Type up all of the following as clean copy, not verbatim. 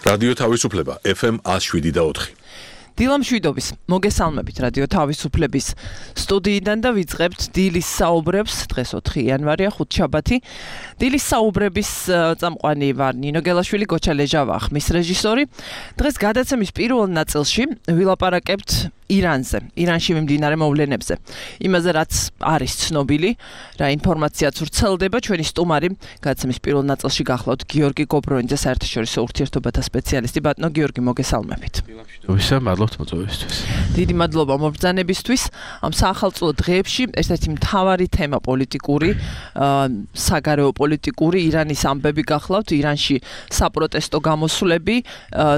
რადიო თავისუფლება FM 107.4. დილამშვიდობის მოგესალმებით რადიო თავისუფლების სტუდიიდან და ვიწყებთ დილის საუბრებს. დღეს 4 იანვარია, ხუთშაბათი. დილის საუბრების წამყვანი ვარ ნინო გელაშვილი, გოჩა ლეჟავა ხმის რეჟისორი. დღეს გადაცემის პირველ ნაწილში ვილაპარაკებთ ირანზე, ირანში მიმდინარე მოვლენებზე. იმაზე რაც არის ცნობილი, რა ინფორმაციაც ვრცელდება. ჩვენი სტუმარი გადაცემის პირველ ნაწილში გახლავთ გიორგი გობრონიძე, საერთაშორისო ურთიერთობათა სპეციალისტი. ბატონო გიორგი, მოგესალმებით. დილამშვიდობისა, მადლობთ მოწვევისთვის. დიდი მადლობა მობრძანებისთვის. ამ საახალწლო დღეებში ერთ-ერთი მთავარი თემა პოლიტიკური, საგარეო პოლიტიკური ირანის ამბები გახლავთ, ირანში საპროტესტო გამოსვლები,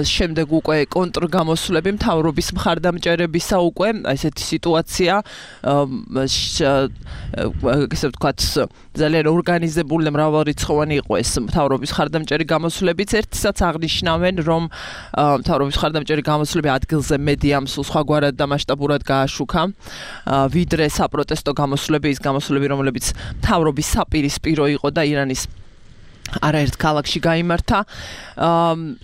შემდეგ უკვე კონტრგამოსვლები, მთავრობის მხარდამჭერების უკვე ესეთი სიტუაცია, ესე ვთქვათ, ძალიან ორგანიზებული და მრავალრიცხოვანი იყო ეს მთავრობის მხარდამჭერი გამოსვლებიც. ერთისაც აღნიშნავენ, რომ მთავრობის მხარდამჭერი გამოსვლები ადგილზე მეტი ამ სულ სხვაგვარად და მასშტაბურად გააშუქა, ვიდრე საპროტესტო გამოსვლები, ის გამოსვლები, რომლებიც მთავრობის საპირისპირო იყო და ირანის არაერთ ქალაქში გაიმართა.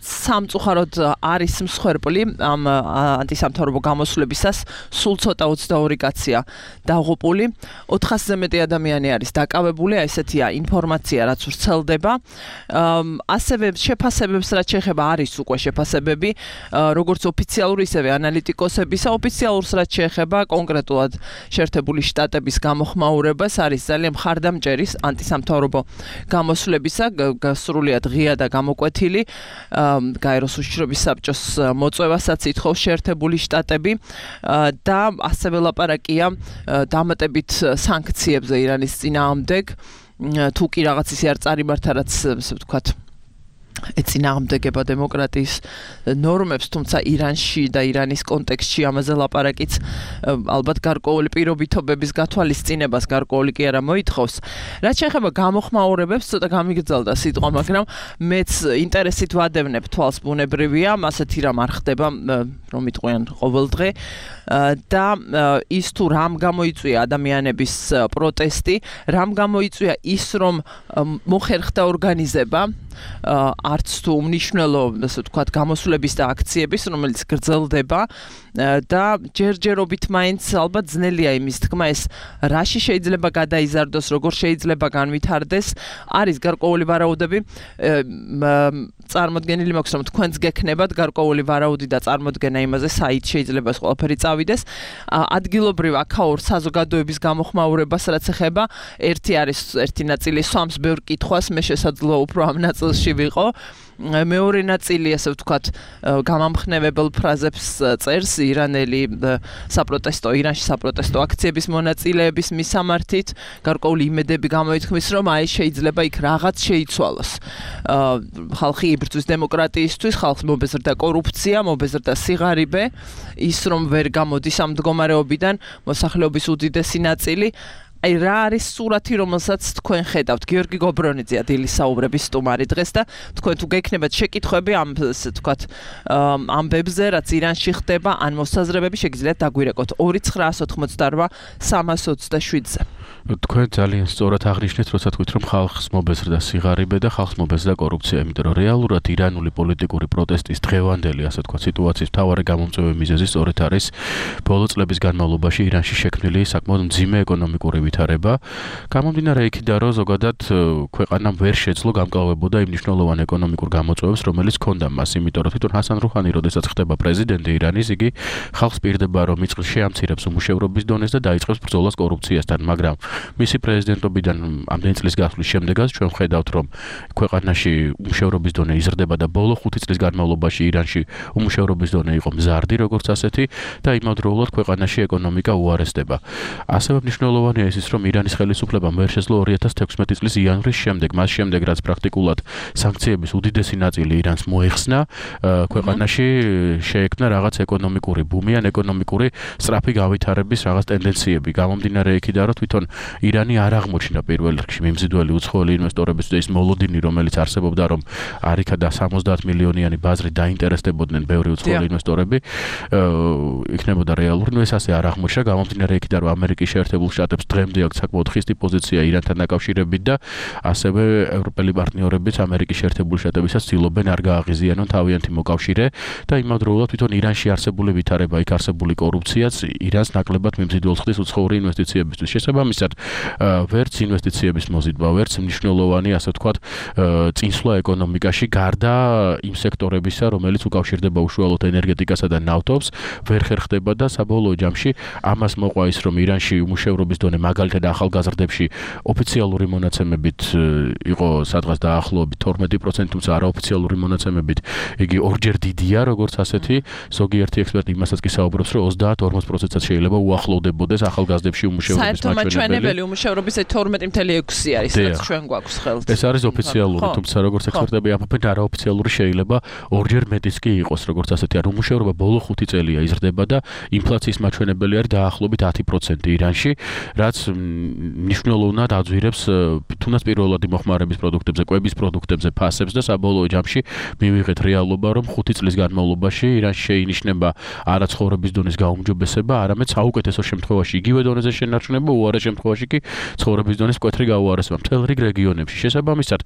სამწუხაროდ არის მსხვერპლი ამ ანტისამთავრობო გამოსვლებისას, სულ ცოტა 22 კაცია დაღუპული, 400-ზე მეტი ადამიანი არის დაკავებული, ესეთია ინფორმაცია, რაც ვრცელდება. ასევე შეფასებებს რაც შეეხება, არის უკვე შეფასებები, როგორც ოფიციალური, ისევე ანალიტიკოსებისა. ოფიციალურს რაც შეეხება კონკრეტულად შეერთებული შტატების გამოხმაურებას, არის ძალიან მხარდამჭერი ანტისამთავრობო გამოსვლებისა, გასრულიად ღია და გამოკვეთილი. გაეროს უშიშრობის საბჭოს მოწვევასაც ითხოვს შეერთებული შტატები და ასევე ლაპარაკია დამატებით სანქციებზე ირანის წინააღმდეგ, თუ კი რაღაც ისე არ წარიმართა, რაც ასე ვთქვათ ეწინააღმდეგება დემოკრატიის ნორმებს, თუმცა ირანში და ირანის კონტექსტში ამაზე ლაპარაკიც ალბათ გარკვეული პირობითობების გათვალისწინებას გარკვეული კი არა მოითხოვს. რაც შეეხება გამოხმაურებებს, ცოტა გამიგრძელდა სიტყვა, მაგრამ მეც ინტერესით ვადევნებ თვალს, ბუნებრივია, ასეთი რამ არ ხდება, რომ იტყვიან ყოველდღე და ის თუ რამ გამოიწვია ადამიანების პროტესტი, რამ გამოიწვია ის, რომ მოხერხდა ორგანიზება, არც თუ უმნიშვნელო, ასე ვთქვათ, გამოსვლების და აქციების, რომელიც გრძელდება და ჯერჯერობით მაინც ალბათ ძნელია იმის თქმა, ეს რაში შეიძლება გადაიზარდოს, როგორ შეიძლება განვითარდეს. არის გარკვეული ვარაუდები, წარმოდგენილი მაქვს, რომ თქვენც გექნებათ გარკვეული ვარაუდი და წარმოდგენა იმაზე, საით შეიძლება ეს ყველაფერი წავიდეს. ადგილობრივ აქაურ საზოგადოების გამოხმაურებას რაც ეხება, ერთი ნაწილი სვამს ბევრ კითხვას, მე შესაძლოა უფრო ამ ნაწილში ვიყო. მეორე ნაწილი, ასე ვთქვათ, გამამხნევებელ ფრაზებს წერს ირანში საპროტესტო აქციების მონაწილეების მისამართით, გარკვეული იმედები გამოითქმის, რომ აი შეიძლება იქ რაღაც შეიცვალოს. ხალხი იბრძვის დემოკრატიისთვის, ხალხს მობეზრდა კორუფცია, მობეზრდა სიღარიბე, ის რომ ვერ გამოდის ამ მდგომარეობიდან მოსახლეობის უდიდესი ნაწილი. აი რა არის სურათი, რომელსაც თქვენ ხედავთ? გიორგი გობრონიძეა დილის საუბრების სტუმარი დღეს და თქვენ თუ გექნებათ შეკითხვები ამ, ასე ვთქვათ, ამბებზე, რაც ირანში ხდება, ან მოსაზრებები, შეგიძლიათ დაგვირეკოთ 2988-327-ზე. თქვენ ძალიან სწორად აღნიშნეთ, როცა თქვით, რომ ხალხს მობეზრდა სიღარიბე და ხალხს მობეზრდა კორუფცია, იმიტომ რომ რეალურად ირანული პოლიტიკური პროტესტის დღევანდელი, ასე ვთქვათ, სიტუაციის მთავარი გამომწვევი მიზეზი სწორედ არის ბოლო წლების განმავლობაში ირანში შექმნილი საკმაოდ მძიმე ეკონომიკური ვითარება. გამომდინარე იქიდან, რომ ზოგადად ქვეყანამ ვერ შეძლო გამკლავებოდა იმ მნიშვნელოვან ეკონომიკურ გამოწვევებს, რომელიც ჰქონდა მას, იმიტომ რომ თვითონ ჰასან რუჰანი, როდესაც ხდება პრეზიდენტი ირანის, იგი ხალხს პირდება, რომ შეამცირებს უმუშევრობის დონეს და დაიწყებს ბრძოლას კორუფციასთან, მაგრამ მისი პრეზიდენტობიდან ამდენი წლის გასვლის შემდეგაც ჩვენ ვხედავთ, რომ ქვეყანაში უმუშევრობის დონე იზრდება და ბოლო 5 წლის განმავლობაში ირანში უმუშევრობის დონე იყო მზარდი, როგორც ასეთი და იმავდროულად ქვეყანაში ეკონომიკა უარესდება. ასევე მნიშვნელოვანია ის, რომ ირანის ხელისუფლებამ ვერ შეძლო 2016 წლის იანვრის შემდეგ, მას შემდეგ, რაც პრაქტიკულად სანქციების უდიდესი ნაწილი ირანს მოეხსნა, ქვეყანაში შეექმნა რაღაც ეკონომიკური ბუმი ან ეკონომიკური სწრაფი გავითარების რაღაც ტენდენციები. გამომდინარე იქიდან, რომ თვითონ ირანი არ აღმოჩნდა პირველ რიგში მიმზიდველი უცხოელი ინვესტორების და ის მოლოდინი, რომელიც არსებობდა, რომ არიქა და 70 მილიონიანი ბაზრი დაინტერესდებოდნენ ბევრი უცხოელი ინვესტორები, იქნებოდა რეალური. ეს ასე არ აღმოჩნდა, გამომდინარე იქიდან, რომ ამერიკის შეერთებულ შტატებს დღემდე აქვს საკმაოდ ხისტი პოზიცია ირანთან დაკავშირებით და ასევე ევროპელი პარტნიორებიც ამერიკის შეერთებული შტატებისაც ცდილობენ არ გააღიზიანონ თავიანთი მოკავშირე და იმავდროულად თვითონ ირანში არსებული ვითარება, იქ არსებული კორუფციაც ირანს ნაკლებად მიმზიდველს ხდის უცხოური ინვესტიციებისთვის. შესაბამისად, ვერც ინვესტიციების მოზიდვა, ვერც მნიშვნელოვანი, ასე ვთქვათ, წინსვლა ეკონომიკაში გარდა იმ სექტორებისა, რომელიც უკავშირდება უშუალოდ ენერგეტიკასა და ნავთობს, ვერ ხერხდება და საბოლოო ჯამში ამას მოყვა ის, რომ ირანში უმუშევრობის დონე მაგალითად ახალგაზრდებში ოფიციალური მონაცემებით იყო სადღაც დაახლოებით 12%, თუმცა არაოფიციალური მონაცემებით იგი ორჯერ დიდია, როგორც ასეთი. ზოგიერთი ექსპერტი იმასაც კი საუბრობს, რომ 30-40%-საც შეიძლება უახლოვდებოდეს ახალგაზრდებში უმუშევრობის მაჩვენებელი უმუშევრობის 12.6 არის, რაც ჩვენ გვაქვს ხელთ. ეს არის ოფიციალური, თუმცა როგორც ექსპერტები ამბობენ, არაოფიციალური შეიძლება ორჯერ მეტიც კი იყოს, როგორც ასეთი. ანუ უმუშევრობა ბოლო 5 წელია იზრდება და ინფლაციის მაჩვენებელი არის დაახლოებით 10% ირანში, რაც მნიშვნელოვნად აძვირებს თუნდაც პირველადი მოხმარების პროდუქტებზე, კვების პროდუქტებზე ფასებს და საბოლოო ჯამში მივიღეთ რეალობა, რომ 5 წლის განმავლობაში ირანში შეინიშნება არა ცხოვრების დონის გაუმჯობესება, არამედ საუკეთესო შემთხვევაში იგივე დონეზე შენარჩუნება, უარეს შემთხვევაში კი ცხოვრების დონის მკვეთრი გაუარესება მთელ რიგ რეგიონებში. შესაბამისად,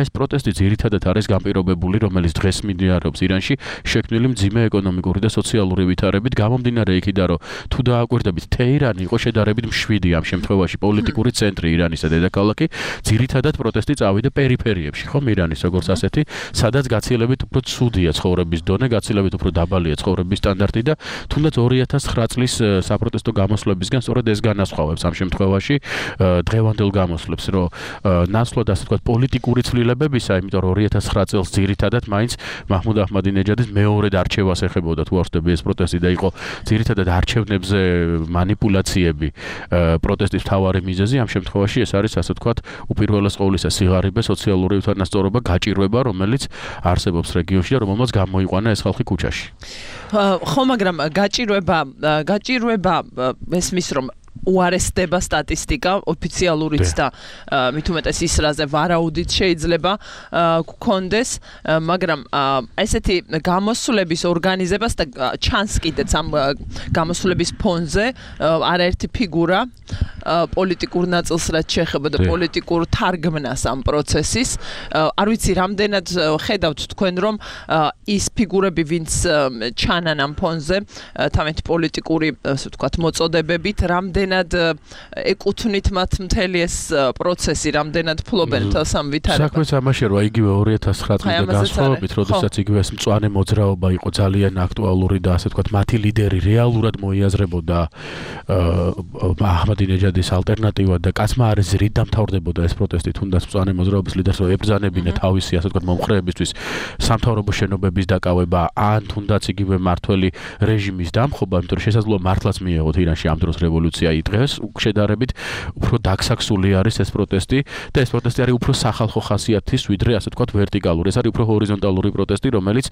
ეს პროტესტი ძირითადად არის განპირობებული, რომელიც დღეს მიმდინარეობს ირანში, შექმნილი მძიმე ეკონომიკური და სოციალური ვითარებით, გამომდინარე იქიდან, რომ თუ დააკვირდებით, თეირანი იყო შედარებით მშვიდი ამ შემთხვევაში პოლიტიკური ცენტრი ირანისა დედაქალაქი, ძირითადად პროტესტი წავიდა პერიფერიებში, ხომ ირანის როგორც ასეთი, სადაც გაცილებით უფრო ცუდია ცხოვრების დონე, გაცილებით უფრო დაბალია ცხოვრების სტანდარტი და თუნდაც 2009 წლის საპროტესტო გამოსვლებისგან სწორედ ეს განასხვავებს ამ შემთხვევაში დღევანდელ გამოსვლებს, რომ ნაცვლად ასე ვთქვათ პოლიტიკური ცვლილებებისა, იმიტომ რომ 2009 წელს ძირითადად მაინც მაჰმუდ აჰმადინეჯადის მეორედ არჩევას ეხებოდა, თუ არ ვთქვი ეს პროტესტი და იყო ძირითადად არჩევნებზე манипуляციები პროტესტის მთავარი მიზეზი. ამ შემთხვევაში ეს არის ასე ვთქვათ უპირველეს ყოვლისა სიღარიბე, სოციალური უთანასწორობა, გაჭირვება, რომელიც არსებობს რეგიონში და რომელმაც გამოიყვანა ეს ხალხი ქუჩაში. ხო, მაგრამ გაჭირვება ესმის რომ უარესდება სტატისტიკა ოფიციალურიც და მით უმეტეს ისრაზე ვარაუდით შეიძლება გქონდეს, მაგრამ ესეთი გამოსვლების ორგანიზებას და ჩანს კიდეც ამ გამოსვლების ფონზე არაერთი ფიგურა პოლიტიკურ ნაწილს რაც შეეხება და პოლიტიკურ თარგმნას ამ პროცესის. არ ვიცი, რამდენად ხედავთ თქვენ, რომ ის ფიგურები, ვინც ჩანან ამ ფონზე, თავიანთი პოლიტიკური, ასე ვთქვათ, მოწოდებებით, რამდენად ეკუთვნით მათ მთელი ეს პროცესი, რამდენად ფლობენ თავს ამ ვითარებას. საქმეც ამაშია, რომ იგივე 2009 წლის განსხვავებით, როდესაც იგივე ეს მწვანე მოძრაობა იყო ძალიან აქტუალური და ასე ვთქვათ, მათი ლიდერი რეალურად მოიაზრებოდა აჰმადინეჯადის ალტერნატივად და კაცმა არის ზრით დამთავრდებოდა ეს პროტესტი, თუნდაც მწვანე მოძრაობის ლიდერს რომ ებრძანებინა თავისი, ასე ვთქვათ, მომხრეებისთვის სამთავრობო შენობების დაკავება, ან თუნდაც იგივე მართველი რეჟიმის დამხობა, იმიტომ რომ შესაძლოა მართლაც მიეღოთ ირანში ამ დროს რევოლუცია დღეს შედარებით უფრო დაგსაქსული არის ეს პროტესტი და ეს პროტესტი არის უფრო სახალხო ხასიათის, ვიდრე ასე ვთქვათ ვერტიკალური. ეს არის უფრო ჰორიზონტალური პროტესტი, რომელიც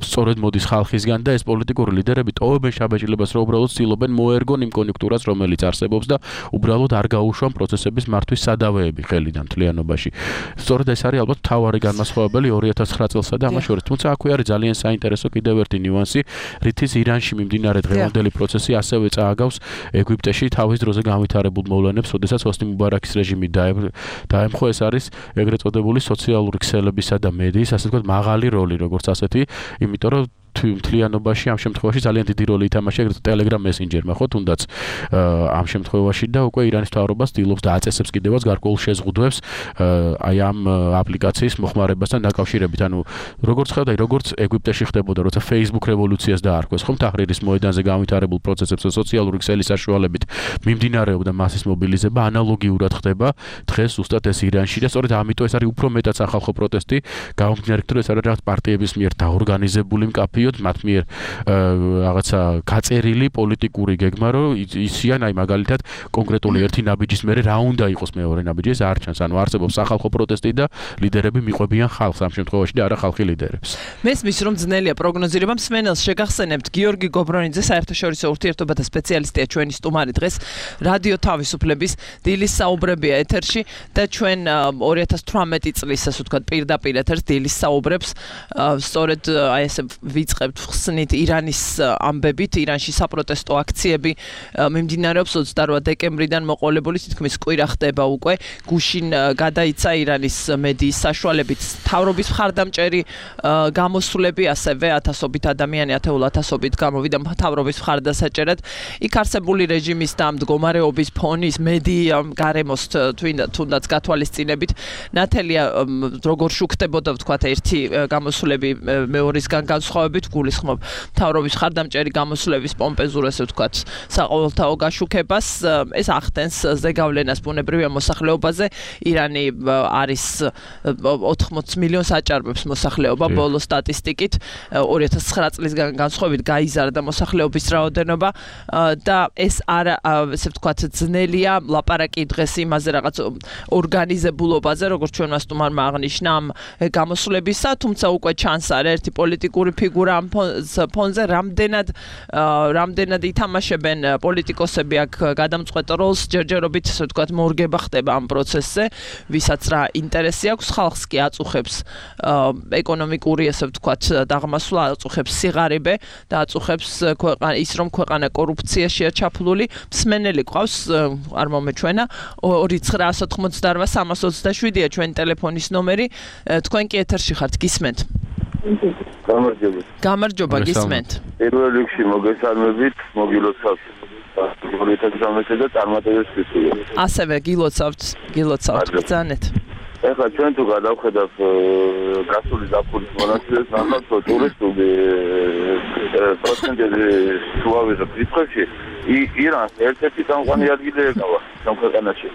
სწორედ მოდის ხალხისგან და ეს პოლიტიკური ლიდერები ტოვებენ შაბეჭდილებას, რომ უბრალოდ ცდილობენ მოერგონ იმ კონიუნქტურას, რომელიც არსებობს და უბრალოდ არ გაუშვან პროცესების მართვის სადავეები ხელიდან მთლიანობაში. სწორედ ეს არის ალბათ მთავარი განმასხვავებელი 2009 წელსა და ამას შორის. თუმცა აქვე არის ძალიან საინტერესო კიდევ ერთი ნიუანსი, რითიც ირანში მიმდინარე დღევანდელი პროცესი ასევე წააგავს ეგვიპტეში თავის დროზე განვითარებულ მოვლენებს, როდესაც ჰოსნი მუბარაქის რეჟიმი დაემხო. ეს არის ეგრეთ წოდებული სოციალური ქსელებისა და მედიის, ასე ვთქვათ, მაღალი როლი, როგორც ასეთი, იმიტომ რომ მთლიანობაში ამ შემთხვევაში ძალიან დიდი როლი ითამაშა ეგრეთ Telegram Messenger-მა, ხო, თუნდაც ამ შემთხვევაში და უკვე ირანის მთავრობა ცდილობს და აწესებს კიდევაც გარკვეულ შეზღუდვებს აი ამ აპლიკაციის მოხმარებასთან დაკავშირებით. ანუ როგორც ხედავთ, როგორც ეგვიპტეში ხდებოდა, როცა Facebook რევოლუციას დაარქვეს, ხომ თაჰრირის მოედანზე განვითარებულ პროცესებს და სოციალური ქსელის საშუალებით მიმდინარეობდა მასის მობილიზება, ანალოგიურად ხდება დღეს ზუსტად ეს ირანში და სწორედ ამიტომ ეს არის უფრო მეტად სახალხო პროტესტი, გამომდინარე იქიდან, რომ ეს არის რაღაც პარტიების მიერ დაორგანიზებული მკაფიო მივდიოთ მათ მიერ რაღაცა გაწერილი პოლიტიკური გეგმა, რომ ისიან აი მაგალითად კონკრეტული ერთი ნაბიჯის მერე რა უნდა იყოს მეორე ნაბიჯი, ეს არ ჩანს. ანუ არსებობს სახალხო პროტესტი და ლიდერები მიყვებიან ხალხს ამ შემთხვევაში და არა ხალხი ლიდერებს. მესმის რომ ძნელია პროგნოზირება. მსმენელს შეგახსენებთ გიორგი გობრონიძე, საერთაშორისო ურთიერთობათა სპეციალისტია ჩვენი სტუმარი დღეს რადიო თავისუფლების დილის საუბრებია ეთერში და ჩვენ 2018 წლის ასე ვთქვათ პირდაპირ ეთერს დილის საუბრებს სწორედ აი ესე ვიწყებთ ხსნით ირანის ამბებით, ირანში საპროტესტო აქციები მიმდინარეობს 28 დეკემბრიდან მოყოლებული თითქმის კვირა ხდება უკვე. გუშინ გადაიცა ირანის მედიის საშუალებით მთავრობის მხარდამჭერი გამოსვლები, ასევე ათასობით ადამიანი, ათეულათასობით გამოვიდა მთავრობის მხარდასაჭერად. იქ არსებული რეჟიმის და მდგომარეობის ფონის მედია გარემოს თუნდაც გათვალისწინებით ნათელია როგორ შუქდებოდა ვთქვათ ერთი გამოსვლები მეორისგან განსხვავებით, გულისხმობ მთავრობის მხარდამჭერი გამოსვლების პომპეზურ ასე ვთქვათ საყოველთაო გაშუქებას. ეს ახდენს ზეგავლენას ბუნებრივია მოსახლეობაზე. ირანი არის 80 მილიონს აჭარბებს მოსახლეობა ბოლო სტატისტიკით. 2009 წლისგან განსხვავებით გაიზარდა მოსახლეობის რაოდენობა და ეს არა ესე ვთქვათ ძნელია ლაპარაკი დღეს იმაზე რაღაც ორგანიზებულობაზე, როგორც ჩვენმა სტუმარმა აღნიშნა ამ გამოსვლებისა, თუმცა უკვე ჩანს ერთი პოლიტიკური ფიგურა ამ ფონზე, რამდენად ითამაშებენ პოლიტიკოსები აქ გადამწყვეტ როლს, ჯერჯერობით ესე ვთქვათ მორგება ხდება ამ პროცესზე, ვისაც რა ინტერესი აქვს, ხალხს კი აწუხებს ეკონომიკური ესე ვთქვათ დაღმასვლა, აწუხებს სიღარიბე და აწუხებს ის რომ ქვეყანა კორუფციაშია ჩაფლული. მსმენელი ყავს, არ მომეჩვენა 2988327-ია ჩვენი ტელეფონის ნომერი. თქვენ კი ეთერში ხართ, გისმენთ? გამარჯობა, გისმენთ. პირველ რიგში მოგესალმებით, მოგილოცავთ. და წარმატებისთვის. ასევე გილოცავთ, ბრძანეთ. ეხლა ჩვენ თუ გადავხედავთ გასული ზაფხულის მონაცემებს, ნახავთ რომ ტურისტული პროცენტები შუავეზე ფიქრში ირანს ერთ-ერთი გამყვანი ადგილი ეკავა ამ ქვეყანაში.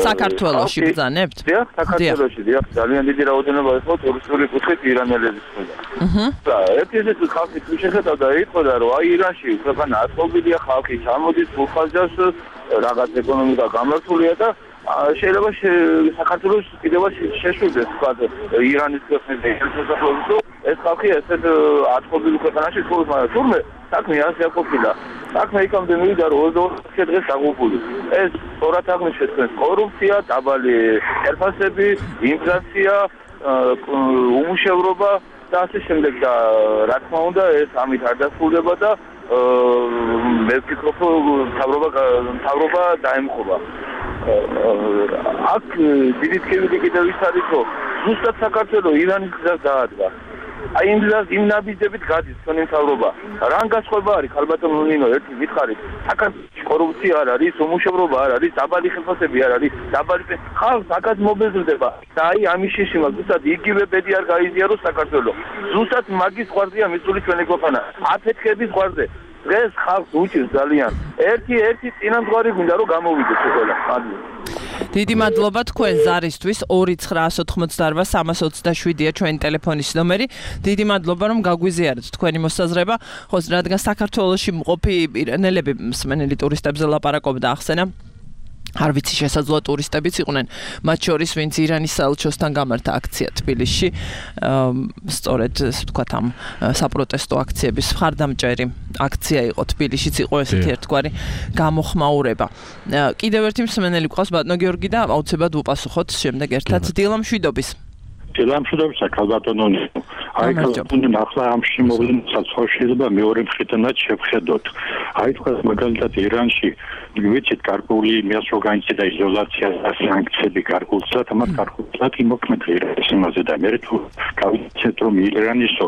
საქართველოში ბრძანებთ? დიახ, საქართველოში, დიახ, ძალიან დიდი რაოდენობა იყო ტურისტული კუთხით ირანელების მხრიდან. და ერთ-ერთი ხალხი თუ შეხედავდა იტყოდა რომ აი ირანში ქვეყანა აწყვობილია, ხალხი ჩამოდის, ფულხაზავს, რაღაც ეკონომიკა გამართულია და შეიძლება საქართველოს კიდევაც შეშვიდეს თქვა ირანის ქვეყნებზე ეს ხალხი ესეთ აწყვობილ ქვეყანაში ცხოვრობს, მაგრამ თურმე საქმე ასე არ ყოფილა. საქმე იქამდე მივიდა რომ 22 დღეს დაღუპული. ეს სწორად აღნიშნეთ თქვენ კორუფცია, დაბალი წერფასები, ინფლაცია, უმუშევრობა და ასე შემდეგ და რა თქმა უნდა ეს ამით არ დასრულდება და მე ვფიქრობ რომ მთავრობა დაემხობა. აქ დიდი თქმები კიდევ ის არის რომ ზუსტად საქართველოს ირანის გზას დაადგა. აი იმ ნაბიჯებით გადის თქვენი მთავრობა. რა განსხვავება არის ხალბატონო ნინო, ერთი ვითხარით, საქართველოს კორუფცია არ არის, უმუშევრობა არ არის, დაბალი ხელფასები არ არის, დაბალი ხალხს აკაც მობეზრდება. და აი ამის შეშიმა ზუსტად იგივე ბედი არ გაიზიაროს საქართველოს. ზუსტად მაგის ყვარზეა მისული ჩვენი ქვეყანა. აფეთქების ყვარზე. დღეს ხალხს უჭირს ძალიან. ერთი წინამძღვარი გვინდა რომ გამოვიდეს ყველა. დიდი მადლობა თქვენ ზარისთვის 2988327-ია ჩვენი ტელეფონის ნომერი. დიდი მადლობა რომ გაგვიზიარეთ თქვენი მოსაზრება. ხო, რადგან საქართველოში მყოფი ირანელები მსმენელი ტურისტებზე ლაპარაკობდა ახსენა. არ ვიცი შესაძლოა ტურისტებიც იყვნენ, მათ შორის ვინც ირანის საელჩოსთან გამართა აქცია თბილისში, სწორედ ასე ვთქვათ ამ საპროტესტო აქციების მხარდამჭერი აქცია იყო თბილისშიც, იყო ესეთი ერთგვარი გამოხმაურება. კიდევ ერთი მსმენელი გვყავს ბატონო გიორგი და აუცილებლად ვუპასუხოთ შემდეგ ერთად. დილა მშვიდობის. დილა მშვიდობის, ქალბატონო. აი ქალბატონო ახლა ამ შემოვლენასაც შეიძლება მეორე მხრიდანაც შევხედოთ. აი თქვა მაგალითად ირანში ვიცით გარკვეული იმას რო განიცადა იზოლაცია და სანქციები გარკვეულწილად ამათ გარკვეულწილად იმოქმედა ირანის იმაზე და მე თუ გავიცეთ რომ ირანისო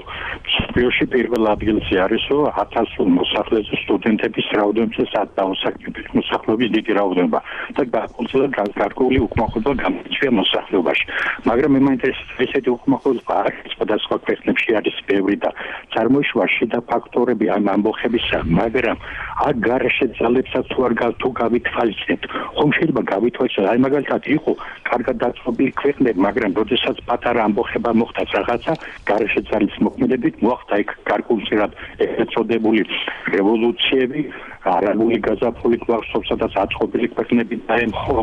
სპიოში პირველ ადგილზე არისო 1000 მოსახლეზე სტუდენტების რაოდენობა დაუსაკმელი მოსახლეობის დიდი რაოდენობა და გარკვეულწილად გარკვეული უკმაყოფილება გამოიწვია მოსახლეობაში. მაგრამ მე მაინტერესებს ესეთი უკმაყოფილება სხვადასხვა ქვეყნებში არის ბევრი და წარმოიშვა შიდა ფაქტორები ამ ამბოხებისა, მაგრამ აქ გარეშე ძალებსაც თუ გავითვალისწინებთ, ხომ შეიძლება გავითვალისწინოთ, აი მაგალითად იყო კარგად დაწესებული ქვეყნები, მაგრამ როდესაც პატარა ამბოხება მოხდა რაღაცა, გარეშე ძალის მოქმედებით მოახდა იქ გარკვეულწილად ეწოდებული რევოლუციები, არაბული გაზაფხული გვახსოვს, სადაც აწყობილი ქვეყნები დაემხო,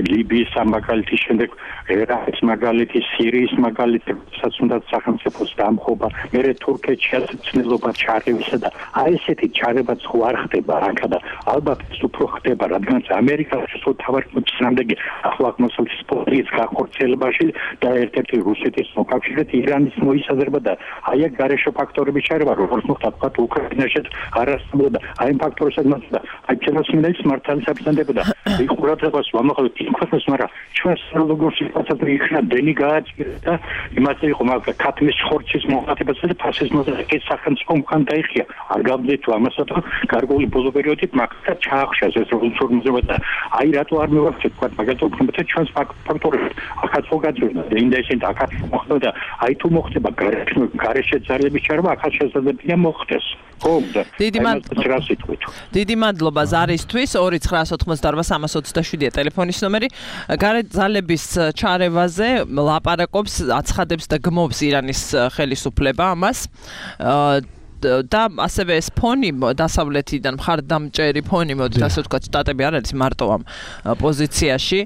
ლიბიის მაგალითი, შემდეგ ერაყის მაგალითი, სირიის მაგალითი, სადაც უნდა სახელმწიფოს დამხობა, მერე თურქეთში ასეცნელობა ჩარევისა და აი ესეთი ჩარევაც ხო არ ხდება აქა და ალბათ ის უფრო ხდება, რადგან ამერიკაში ხო თავარქმის რამდენი ახლა მოსულის პოლიტიკის გახორციელებაში და ერთ-ერთი რუსეთის მოკავშირედ ირანის მოისაზრება და აი აქ გარეშე ფაქტორები ჩარევა, როგორც მოხდა თქვა უკრაინაში არასწორად და აი ფაქტორებსაც და აი ჩენოსმინელის მართალი საბრძანდებოდა იყურადებას ვამახვილებთ იმ ქვეყნებს, მაგრამ ჩვენს როგორ სიტუაციაზე იქნა დენი გააჭირა და იმაზე იყო მაგრამ ქათმის ხორცის მოხატებასა და ფასიზმზე ეს სახელმწიფო უკან დაიხია არ გავდეთ ამასაც გარკვეული ბოლო პერიოდით მაგასაც ჩაახშეს ეს რევოლუციური და აი რატო არ მივახცეთ თქვა მაგალითად უფრო ჩვენს ფაქტორებს ახაც ხო გაძვირდა და ინდაისენ ახაც მოხდა და აი თუ მოხდება გარეშე ძალების ჩარევა ახაც შესაძლებელია მოხდეს ხო და დიდი მადლობა ზარისთვის 2988327-ია ტელეფონის ნომერი გარე ძალების ჩარევაზე ლაპარაკობს აცხადებს და გმობს ირანის ხელისუფლება ამას და ასევე ეს ფონი დასავლეთიდან მხარდამჭერი ფონი მოდით ასე ვთქვათ შტატები არ არის მარტო ამ პოზიციაში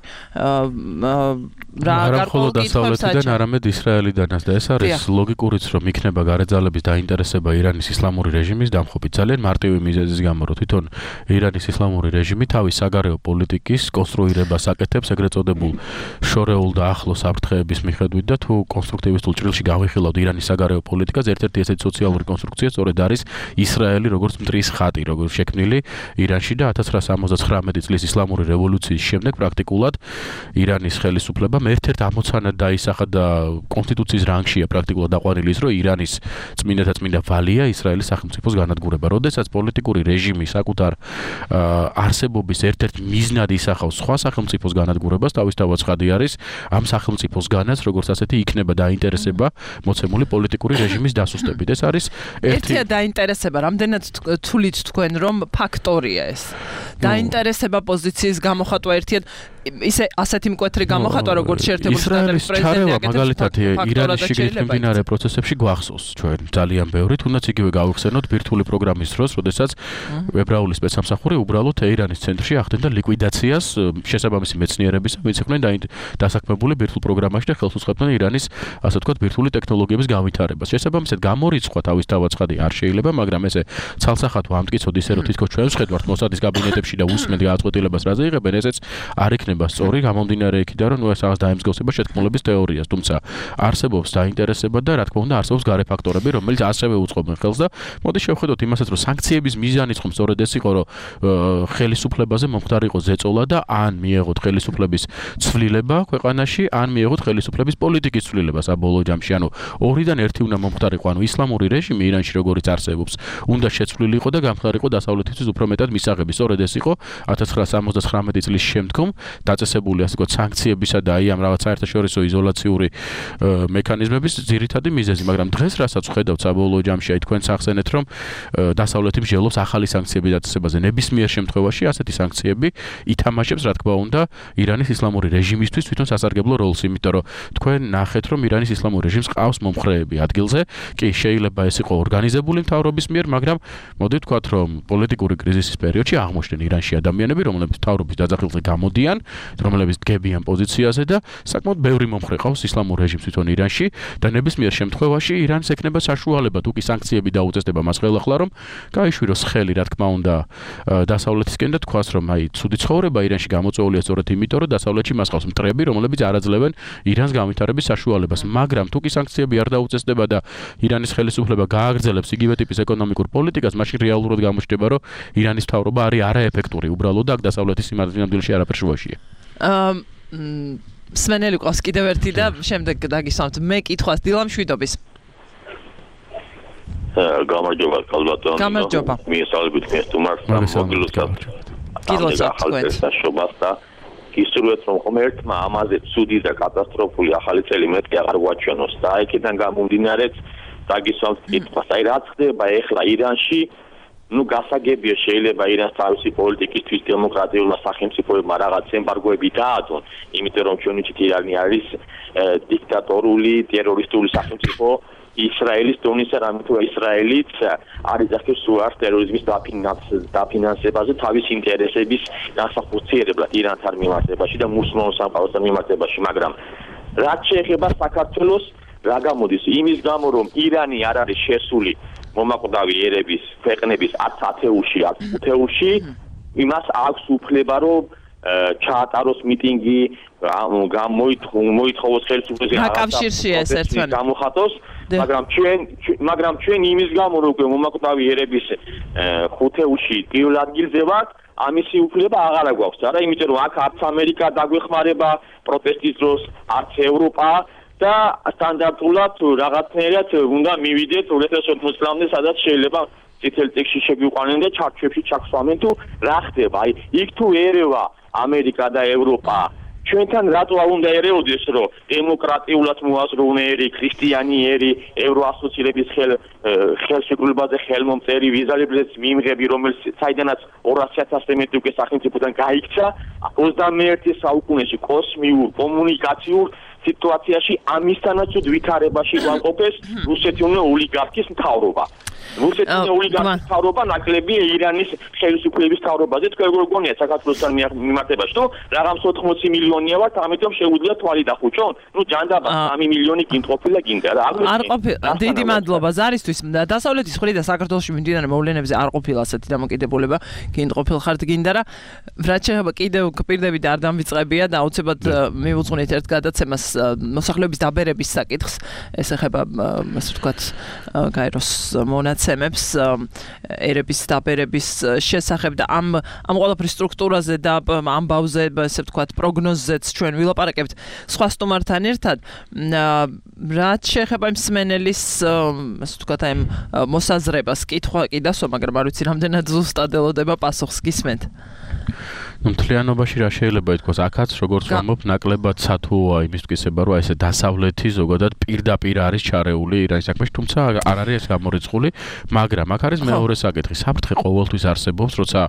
რა გარკვეულ დასავლეთიდან არამედ ისრაელიდანაც და ეს არის ლოგიკურიც რომ იქნება გარეძალების დაინტერესება ირანის ისლამური რეჟიმის დამხობით ძალიან მარტივი მიზეზის გამო რომ თვითონ ირანის ისლამური რეჟიმი თავის საგარეო პოლიტიკის კონსტრუირებას აკეთებს ეგრეთ წოდებულ შორეულ და ახლო საფრთხეების მიხედვით და თუ კონსტრუქტივისტულ ჭრილში გავიხილავთ ირანის საგარეო პოლიტიკას ერთ-ერთი ესეთი სოციალური კონსტრუქცია სწორედ არის ისრაელი როგორც მტრის ხატი როგორც შექმნილი ირანში და 1979 წლის ისლამური რევოლუციის შემდეგ პრაქტიკულად ირანის ხელისუფლება ერთ-ერთ ამოცანად დაისახა და კონსტიტუციის რანგშია პრაქტიკულად დაყვანილი ის რომ ირანის წმინდა ვალია ისრაელის სახელმწიფოს განადგურება. როდესაც პოლიტიკური რეჟიმი საკუთარ არსებობის ერთ-ერთ მიზნად ისახავს სხვა სახელმწიფოს განადგურებას, თავისთავად ცხადი არის ამ სახელმწიფოსგანაც როგორც ასეთი იქნება დაინტერესება მოცემული პოლიტიკური რეჟიმის დასუსტებით. ეს არის ერთია დაინტერესება, რამდენად თulit თქვენ რომ ფაქტორია ეს. დაინტერესება პოზიციის გამოხატვა ერთია ისე ასეთი მკვეთრი გამოხატვა როგორც შეერთებული შტატების პრეზიდენტი მაგალითად ირანის შიგნით მიმდინარე პროცესებში გვახსოვს ჩვენ ძალიან ბევრი თუნდაც იგივე გავიხსენოთ ბირთვული პროგრამის დროს, როდესაც ებრაული სპეცსამსახური უბრალოდ ირანის ცენტრში ახდენდა ლიკვიდაციას შესაბამისი მეცნიერების, ვინც იყვნენ დასაქმებული ბირთვულ პროგრამაში და ხელს უწყებდნენ ირანის, ასე ვთქვათ, ბირთვული ტექნოლოგიების განვითარებას. შესაბამისად გამორიცხვა თავისთავად ცხადი არ შეიძლება, მაგრამ ესე ცალსახად ვამტკიცოთ ისე რომ თითქოს ჩვენ ვხედავთ მოსადის კაბინეტებში და უსმენთ გადაწყვეტილებას რაზე იღებენ, ესეც არ იქნება სწორი გამომდინარე იქიდან რომ ეს რაღაც დაემსგავსება შეთქმულების თეორიას, თუმცა არსებობს დაინტერესება და რა თქმა უნდა არსებობს გარე ფაქტორები, რომელიც ასევე უწყობენ ხელს და მოდი შევხედოთ იმასაც რომ სანქციების მიზანიც ხომ სწორედ ეს იყო რომ ხელისუფლებაზე მომხდარიყო ზეწოლა და ან მიეღოთ ხელისუფლების ცვლილება ქვეყანაში, ან მიეღოთ ხელისუფლების პოლიტიკის ცვლილება საბოლოო ჯამში, ანუ ორიდან ერთი უნდა მომხდარიყო, ანუ ისლამური რეჟიმი ირანში როგორც არსებობს, უნდა შეცვლილიყო და გამხდარიყო დასავლეთისთვის უფრო მეტად მისაღები. სწორედ ეს იყო 1979 წლის შემდგომ დაწესებული ასე ვთქვათ სანქციებისა და აი ამ რაღაც საერთაშორისო იზოლაციური მექანიზმების ძირითადი მიზეზი, მაგრამ დღეს რასაც ვხედავთ საბოლოო ჯამში, აი თქვენ ახსენეთ რომ დასავლეთი მსჯელობს ახალი სანქციების დაწესებაზე. ნებისმიერ შემთხვევაში ასეთი სანქციები ითამაშებს, რა თქმა უნდა, ირანის ისლამური რეჟიმისთვის თვითონ სასარგებლო როლს, იმიტომ რომ თქვენ ნახეთ რომ ირანის ისლამური რეჟიმს ყავს მომხრეები ადგილზე, კი შეიძლება ეს იყო ორგანიზებული მთავრობის მიერ, მაგრამ მოდი ვთქვათ რომ პოლიტიკური კრიზისის პერიოდში აღმოჩნდნენ ირანში ადამიანები, რომლებიც მთავრობის დაძახილზე გამოდიან, რომლებიც დგებიან პოზიციაზე და საკმაოდ ბევრი მომხრე ყავს ისლამურ რეჟიმს თვითონ ირანში და ნებისმიერ შემთხვევაში ირანს ექნება საშუალება თუ კი სანქციები დაუწესდება მას ხელახლა რომ გაიშვიროს ხელი, რა თქმა უნდა, დასავლეთისკენ და თქვას რომ აი ცუდი ცხოვრება ირანში გამოწვეულია სწორედ იმიტომ რომ დასავლეთში მას ყავს მტრები, რომლებიც არ აძლევენ ირანს განვითარების საშუალებას, მაგრამ თუ კი სანქციები არ დაუწესდება და ირანის ხელისუფლება გააგრძელებს იგივე ტიპის ეკონომიკურ პოლიტიკას, მაშინ რეალურად გამოჩნდება რომ ირანის მთავრობა არის არაეფექტური, უბრალოდ აქ დასავლეთის სიმართლეში არაფერ შუაშია. სვენელი ყავს კიდევ ერთი და შემდეგ დაგისვამთ მე კითხვას დილამ შვიდობის. გამარჯობა კალბატონო. გამარჯობა. მიესალმებით მე სტუმარს და მოგილოცავთ. გილოცავთ თქვენ. და გისურვებთ რომ ღმერთმა ამაზე ცუდი და კატასტროფული ახალი წელი მეთქი აღარ გვაჩვენოს და იქიდან გამომდინარეც დაგისვამთ კითხვას აი რა ხდება ეხლა ირანში გასაგებია შეიძლება ირანს თავისი პოლიტიკისთვის დემოკრატიულმა სახელმწიფოებმა რაღაც ემბარგოები დაადონ იმიტომ რომ ჩვენ ვიცით ირანი არის დიქტატორული ტერორისტული სახელმწიფო ისრაელის დონისა რამეთუ ისრაელიც არის ახლა სუარს ტერორიზმის დაფინანსებაზე თავის ინტერესების განსახორციელებლად ირანთან მიმართებაში და მუსლიმურ სამყაროსთან მიმართებაში მაგრამ რაც შეეხება საქართველოს რა გამოდის იმის გამო რომ ირანი არ არის შესული მომაკვდავი ერების ქვეყნების 10 ათეულში 10 ათეულში იმას აქვს უფლება რომ ჩაატაროს მიტინგი მოითხოვოს ხელისუფლების გაკავშირშია ეს ერთმანეთს გამოხატოს მაგრამ ჩვენ იმის გამო რომ მომაკვდავი ერების 5 ათეულში პირველ ადგილზე ვართ ამისი უფლება აღარ გვაქვს არა იმიტომ რომ აქ არც ამერიკა დაგვეხმარება პროტესტის დროს არც ევროპა და სტანდარტულად რაღაცნაირად უნდა მივიდეთ 2080 წლამდე სადაც შეიძლება წითელ წიგნში შეგვიყვანენ და ჩარჩოებში ჩაგვსვამენ თუ რა ხდება აი იქ თუ ერევა ამერიკა და ევროპა ჩვენთან რატო არ უნდა ერეოდეს რომ დემოკრატიულად მოაზროვნეერი ქრისტიანიერი ევროასოცირების ხელშეკრულებაზე ხელმომწერი ვიზალებზეც მიიღები რომელიც საიდანაც 200,000-ზე მეტი უკვე სახელმწიფოდან გაიქცა 21 საუკუნეში კოსმიურ კომუნიკაციურ სიტუაციაში ამისთანაც ვითარებაში ვამყოფეს რუსეთის ოლიგარქის მთავრობა. რუსეთის ოლიგარქის მთავრობა ნაკლებია ირანის ხელისუფლების მთავრობაზე. თქვენ როგორ გონიათ საქართველოსთან მიმართებაში, თუ რაღაც 80 მილიონია ვართ, ამიტომ შეუძლია თვალი დახუჭონ? ჯანდაბა 3 მილიონი გინდყოფილა გინდა რა. არ ყოფილა. დიდი მადლობა ზარისთვის. დასავლეთის მხრიდან საქართველოში მიმდინარე მოვლენებზე არ ყოფილა ასეთი დამოკიდებულება. გინდყოფილ ხართ გინდა რა. რაც შეეხება კიდევ პირდები და არ დამვიწყებია და აუცილებლად მივუძღვნით ერთ გადაცემას მოსახლეობის დაბერების საკითხს ეს ეხება ასე ვთქვათ გაეროს მონაცემებს ერების დაბერების შესახებ და ამ ყველაფრის სტრუქტურაზე და ამბავზე ასე ვთქვათ პროგნოზზეც ჩვენ ვილაპარაკებთ სხვა სტუმართან ერთად რაც შეეხება იმ სმენელის ასე ვთქვათ აი მოსაზრებას კითხვა კი დასვა მაგრამ არ ვიცი რამდენად ზუსტად ელოდება პასუხს გისმენთ მთლიანობაში რა შეიძლება ითქვას აქაც როგორც ვამბობ ნაკლებად სათუოა იმის თქმისება რომ ესე დასავლეთი ზოგადად პირდაპირ არის ჩარეული ირანის საქმეში თუმცა არ არის ეს გამორიცხული მაგრამ აქ არის მეორე საკითხი საფრთხე ყოველთვის არსებობს როცა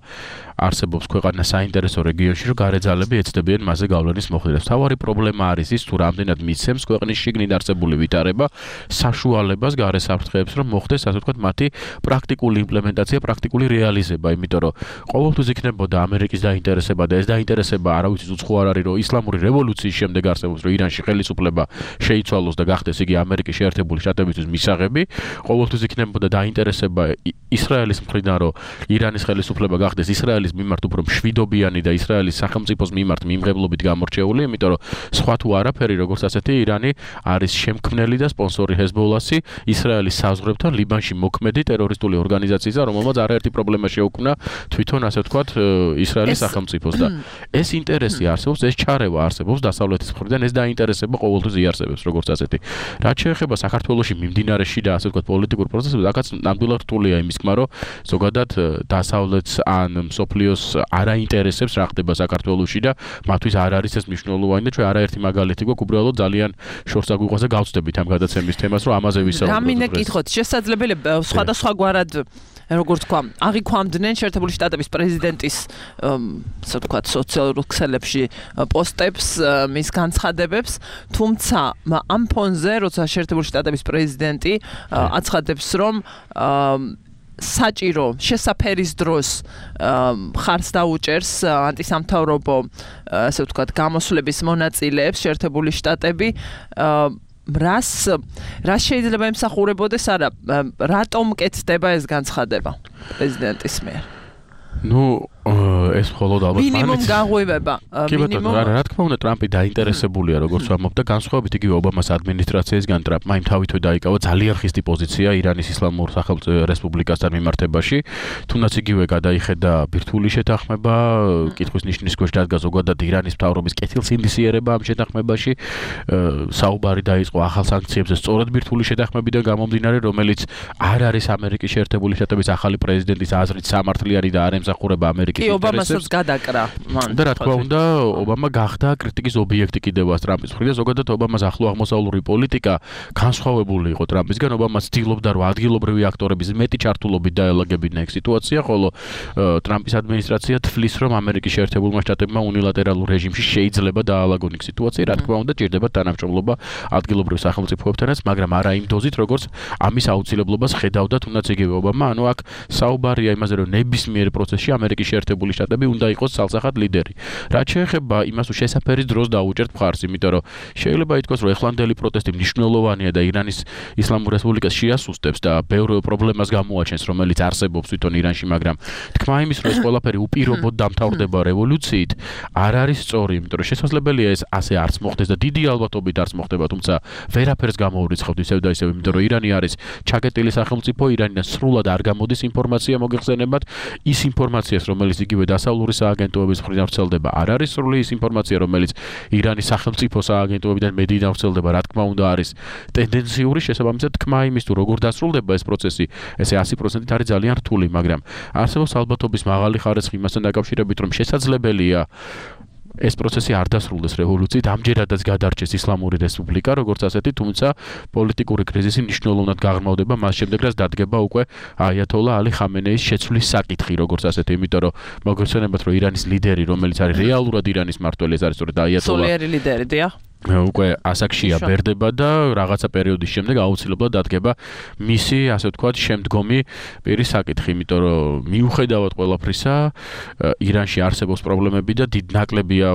არსებობს ქვეყანა საინტერესო რეგიონში რომ გარეძალები ეცდებიან მასზე გავლენის მოხდენას თავარი პრობლემა არის ის თუ რამდენად მიცემს ქვეყნის შიგნით არსებული ვითარება საშუალებას გარე საფრთხეებს რომ მოხდეს ასე ვთქვათ მათი პრაქტიკული იმპლემენტაცია პრაქტიკული რეალიზება იმიტომ რომ ყოველთვის იქნებოდა ამერიკის დაინტერესება და ეს დაინტერესება არავითარ უცხო არ არის რომ ისლამური რევოლუციის შემდეგ არსებობს რომ ირანში ხელისუფლება შეიცვალოს და გახდეს იგი ამერიკის შეერთებული შტატებისთვის მისაღები ყოველთვის იქნებოდა დაინტერესება ისრაელის მხრიდან რომ ირანის ხელისუფლება გახდეს ისრაელის მიმართ უფრო მშვიდობიანი და ისრაელის სახელმწიფოს მიმართ მიმღებლობით გამორჩეული იმიტომ რომ სხვა თუ არაფერი როგორც ასეთი ირანი არის შემქმნელი და სპონსორი ჰეზბოლასი ისრაელის საზღვრებთან ლიბანში მოქმედი ტერორისტული ორგანიზაცია რომელმაც არაერთი პრობლემა შეუქმნა თვითონ ასე ვთქვათ ისრაელის სახელმწიფოს და ეს ინტერესი არსებობს, ეს ჩარევა არსებობს დასავლეთის მხრიდან, ეს დაინტერესება ყოველთვის იარსებებს როგორც ასეთი. რაც შეეხება საქართველოში მიმდინარე შიდა ასე ვთქვათ პოლიტიკურ პროცესებს, აქაც ნამდვილად რთულია იმის თქმა, რომ ზოგადად დასავლეთს ან მსოფლიოს არაინტერესებს რა ხდება საქართველოში და მათთვის არ არის ეს მნიშვნელოვანი და ჩვენ არაერთი მაგალითი გვაქვს უბრალოდ ძალიან შორს აგვიყვანს და გავწდებით ამ გადაცემის თემას, რომ ამაზე ვისაუბროთ. რამინე კითხოთ, შესაძლებელია სხვადასხვაგვარად როგორც თქვა, აღიქვამდნენ შეერთებული შტატების პრეზიდენტის ასე ვთქვათ სოციალურ ქსელებში პოსტებს, მის განცხადებებს, თუმცა ამ ფონზე, როცა შეერთებული შტატების პრეზიდენტი აცხადებს, რომ საჭირო შესაფერის დროს ხარს დაუჭერს ანტისამთავრობო ასე ვთქვათ გამოსვლების მონაწილეებს შეერთებული შტატები რას შეიძლება ემსახურებოდეს არა რატომ კეთდება ეს განცხადება პრეზიდენტის მიერ ეს მხოლოდ ალბათ მინიმუმ გაღვივება მინიმუმ რა თქმა უნდა ტრამპი დაინტერესებულია როგორც ვამბობ და განსხვავებით იგივე ობამას ადმინისტრაციისგან ტრამპმა იმ თავითვე დაიკავა ძალიან ხისტი პოზიცია ირანის ისლამურ სახელმწიფო რესპუბლიკასთან მიმართებაში თუნდაც იგივე გადაიხედა ბირთვული შეთანხმება კითხვის ნიშნის ქვეშ დადგა ზოგადად ირანის მთავრობის კეთილსინდისიერება ამ შეთანხმებაში საუბარი დაიწყო ახალ სანქციებზე სწორედ ბირთვული შეთანხმებიდან გამომდინარე რომელიც არ არის ამერიკის შეერთებული შტატების ახალი პრეზიდენტის აზრით სამართლიანი და არ ემსახურება ამერიკის კი, ინტერესებს გადაკრა მან. და რა თქმა უნდა, ობამა გახდა კრიტიკის ობიექტი კიდევაც ტრამპის მხრიდან. ზოგადად ობამას ახლო აღმოსავლური პოლიტიკა განსხვავებული იყო ტრამპისგან. ობამა ცდილობდა, რომ ადგილობრივი აქტორების მეტი ჩართულობით დაელაგებინა ეგ სიტუაცია, ხოლო ტრამპის ადმინისტრაცია თვლის, რომ ამერიკის შეერთებულმა შტატებმა უნილატერალურ რეჟიმში შეიძლება დაალაგონ ეგ სიტუაცია. რა თქმა უნდა, ჭირდება თანამშრომლობა ადგილობრივ სახელმწიფოებთანაც, მაგრამ არა იმ დოზით, როგორც ამის აუცილებლობას ხედავდა თუნდაც იგივე ობამა. ანუ აქ საუბარია იმაზე, რომ ნებისმიერ პროცესში ამერიკის შეერთებული შტატები უნდა იყოს ცალსახად ლიდერი. რაც შეეხება იმას, რომ შესაფერის დროს დაუჭერთ მხარს, იმიტომ რომ შეიძლება ითქვას, რომ ეხლანდელი პროტესტი მნიშვნელოვანია და ირანის ისლამურ რესპუბლიკას შეასუსტებს და ბევრ პრობლემას გამოაჩენს, რომელიც არსებობს თვითონ ირანში, მაგრამ თქმა იმის, რომ ეს ყველაფერი უპირობოდ დამთავრდება რევოლუციით, არ არის სწორი, იმიტომ რომ შესაძლებელია ეს ასე არც მოხდეს და დიდი ალბათობით არც მოხდება, თუმცა ვერაფერს გამოურიცხავთ ისევ და ისევ, იმიტომ რომ ირანი არის ჩაკეტილი სახელმწიფო, ირანიდან სრულად არ გამოდის ინფორმაცია მოგეხსენებათ, ის ინფორმაციას, რომელიც იგივე დასავლური სააგენტოების მხრიდან ვრცელდება, არ არის სრული ის ინფორმაცია, რომელიც ირანის სახელმწიფო სააგენტოებიდან მედიიდან ვრცელდება, რა თქმა უნდა არის ტენდენციური, შესაბამისად თქმა იმის თუ როგორ დასრულდება ეს პროცესი, ესე 100%-ით არის ძალიან რთული, მაგრამ არსებობს ალბათობის მაღალი ხარისხი იმასთან დაკავშირებით, რომ შესაძლებელია ეს პროცესი არ დასრულდეს რევოლუციით, ამჯერადაც გადარჩეს ისლამური რესპუბლიკა, როგორც ასეთი, თუმცა პოლიტიკური კრიზისი მნიშვნელოვნად გაღრმავდება მას შემდეგ, რაც დადგება უკვე აიათოლა ალი ხამენეის შეცვლის საკითხი, როგორც ასეთი, იმიტომ რომ მოგეხსენებათ, რომ ირანის ლიდერი, რომელიც არის რეალურად ირანის მმართველი, ეს არის სწორედ აიათოლა. სულიერი ლიდერი, დიახ. უკვე ასაკშია ბერდება და რაღაცა პერიოდის შემდეგ აუცილებლად დადგება მისი, ასე ვთქვათ, შემდგომი პირის საკითხი, იმიტომ რომ მიუხედავად ყველაფრისა, ირანში არსებობს პრობლემები და დიდ ნაკლებია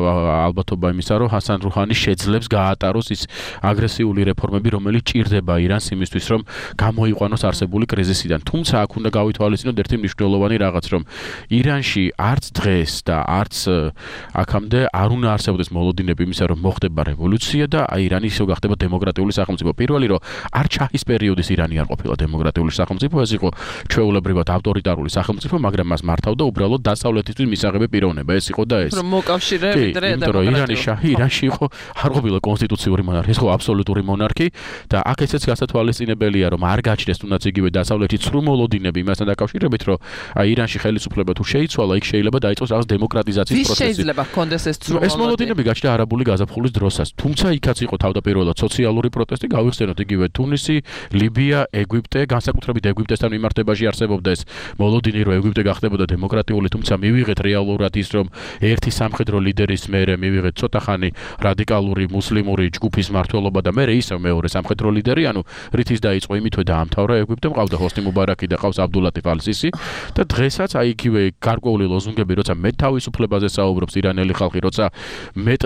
ალბათობა იმისა, რომ ჰასან რუჰანი შეძლებს გაატაროს ის აგრესიული რეფორმები, რომელიც ჭირდება ირანს იმისთვის, რომ გამოიყვანოს არსებული კრიზისიდან. თუმცა აქ უნდა გავითვალისწინოთ ერთი მნიშვნელოვანი რაღაც, რომ ირანში არც დღეს და არც აქამდე არ უნდა არსებობდეს მოლოდინები იმისა, რომ მოხდება რევოლუცია და ირანი ისევ გახდება დემოკრატიული სახელმწიფო. პირველი რომ არ ჩაჰის პერიოდის ირანი არ ყოფილა დემოკრატიული სახელმწიფო, ეს იყო ჩვეულებრივად ავტორიტარული სახელმწიფო, მაგრამ მას მართავდა უბრალოდ დასავლეთისთვის მისაღები პიროვნება. ეს იყო და ეს. რომ მოკავშირე ვიდრე იმიტომ ირანის შაჰი ირანში იყო არ ყოფილა კონსტიტუციური მონარქი, ეს იყო აბსოლუტური მონარქი და აქ ესეც გასათვალისწინებელია, რომ არ გაჩნდეს თუნდაც იგივე დასავლეთის სრულ მოლოდინები იმასთან დაკავშირებით, რომ ირანში ხელისუფლება თუ შეიცვალა, იქ შეიძლება დაიწყოს რაღაც დემოკრატიზაციის პროცესი. ვის შეიძლება ჰქონდეს ეს სრულ ეს მოლოდინები გაჩნდა არაბული გაზაფხულის დროსაც. თუმცა იქაც იყო თავდაპირველად სოციალური პროტესტი, გავიხსენოთ იგივე თუნისი, ლიბია, ეგვიპტე, განსაკუთრებით ეგვიპტესთან მიმართებაში არსებობდა ეს მოლოდინი, რომ ეგვიპტე გახდებოდა დემოკრატიული, თუმცა მივიღეთ რეალურად ის, რომ ერთი სამხედრო ლიდერის მერე მივიღეთ ცოტა ხანი რადიკალური მუსლიმური ჯგუფის მმართველობა და მერე ისევ მეორე სამხედრო ლიდერი, ანუ რითიც დაიწყო იმითვე დაამთავრა ეგვიპტე, მყავდა ჰოსნი მუბარაკი და ყავს აბდულატიფ ალ-სისი და დღესაც აი იგივე გარკვეული ლოზუნგები, როცა მეტ თავისუფლებაზე საუბრობს ირანელი ხალხი, როცა მეტ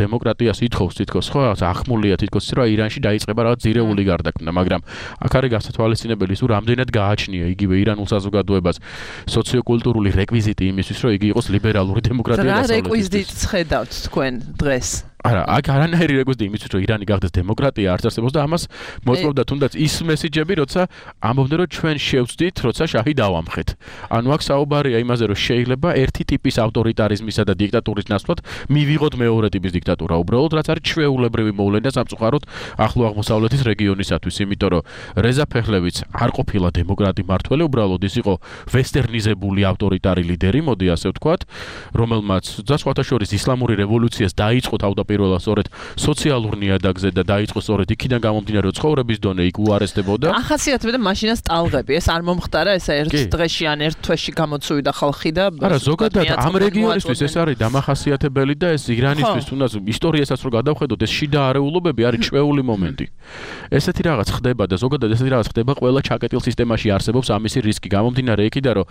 დემოკრატიას ითხოვს თითქოს ხო ახმულია თითქოს ის რომ ირანში დაიწყება რაღაც ძირეული გარდაქმნა, მაგრამ აქ არის გასათვალისწინებელი ის, რომ რამდენად გააჩნია იგივე ირანულ საზოგადოებას სოციოკულტურული რეკვიზიტი იმისთვის, რომ იგი იყოს ლიბერალური დემოკრატია დასავლეთის. რა რეკვიზიტს ხედავთ თქვენ დღეს? არა, აქ არანაირი რეკვიზიტი იმისთვის, რომ ირანი გახდეს დემოკრატია არ არსებობს და ამას მოწმობდა თუნდაც ის მესიჯები, როცა ამბობდნენ, რომ ჩვენ შევწდით, როცა შაჰი დავამხეთ. ანუ აქ საუბარია იმაზე, რომ შეიძლება ერთი ტიპის ავტორიტარიზმისა და დიქტატურის ნაცვლად მივიღოთ მეორე ტიპის დიქტატურა, უბრალოდ რაც არის ჩვეულებრივი მოვლენა სამწუხაროდ ახლო აღმოსავლეთის რეგიონისათვის, იმიტომ რომ რეზა ფეხლევიც არ ყოფილა დემოკრატი მმართველი, უბრალოდ ის იყო ვესტერნიზებული ავტორიტარი ლიდერი, მოდი ასე ვთქვათ, რომელმაც სხვათა შორის ისლამური რევოლუციას დაიწყო თავდაპირველად სწორედ სოციალურ ნიადაგზე და დაიწყო სწორედ იქიდან გამომდინარე, რომ ცხოვრების დონე იქ უარესდებოდა. ახასიათებდა მაშინაც ტალღები, ეს არ მომხდარა, ესა ერთ დღეში ან ერთ თვეში გამოცივდა ხალხი და არა, ზოგადად ამ რეგიონისთვის ეს არის დამახასიათებელი და ეს ირანისთვის თუნდაც ისტორიასაც რო გადავხედოთ, ეს შიდა არეულობები არის ჩვეული მომენტი. ესეთი რაღაც ხდება და ზოგადად ესეთი რაღაც ხდება ყველა ჩაკეტილ სისტემაში არსებობს ამისი რისკი. გამომდინარე იქიდან, რომ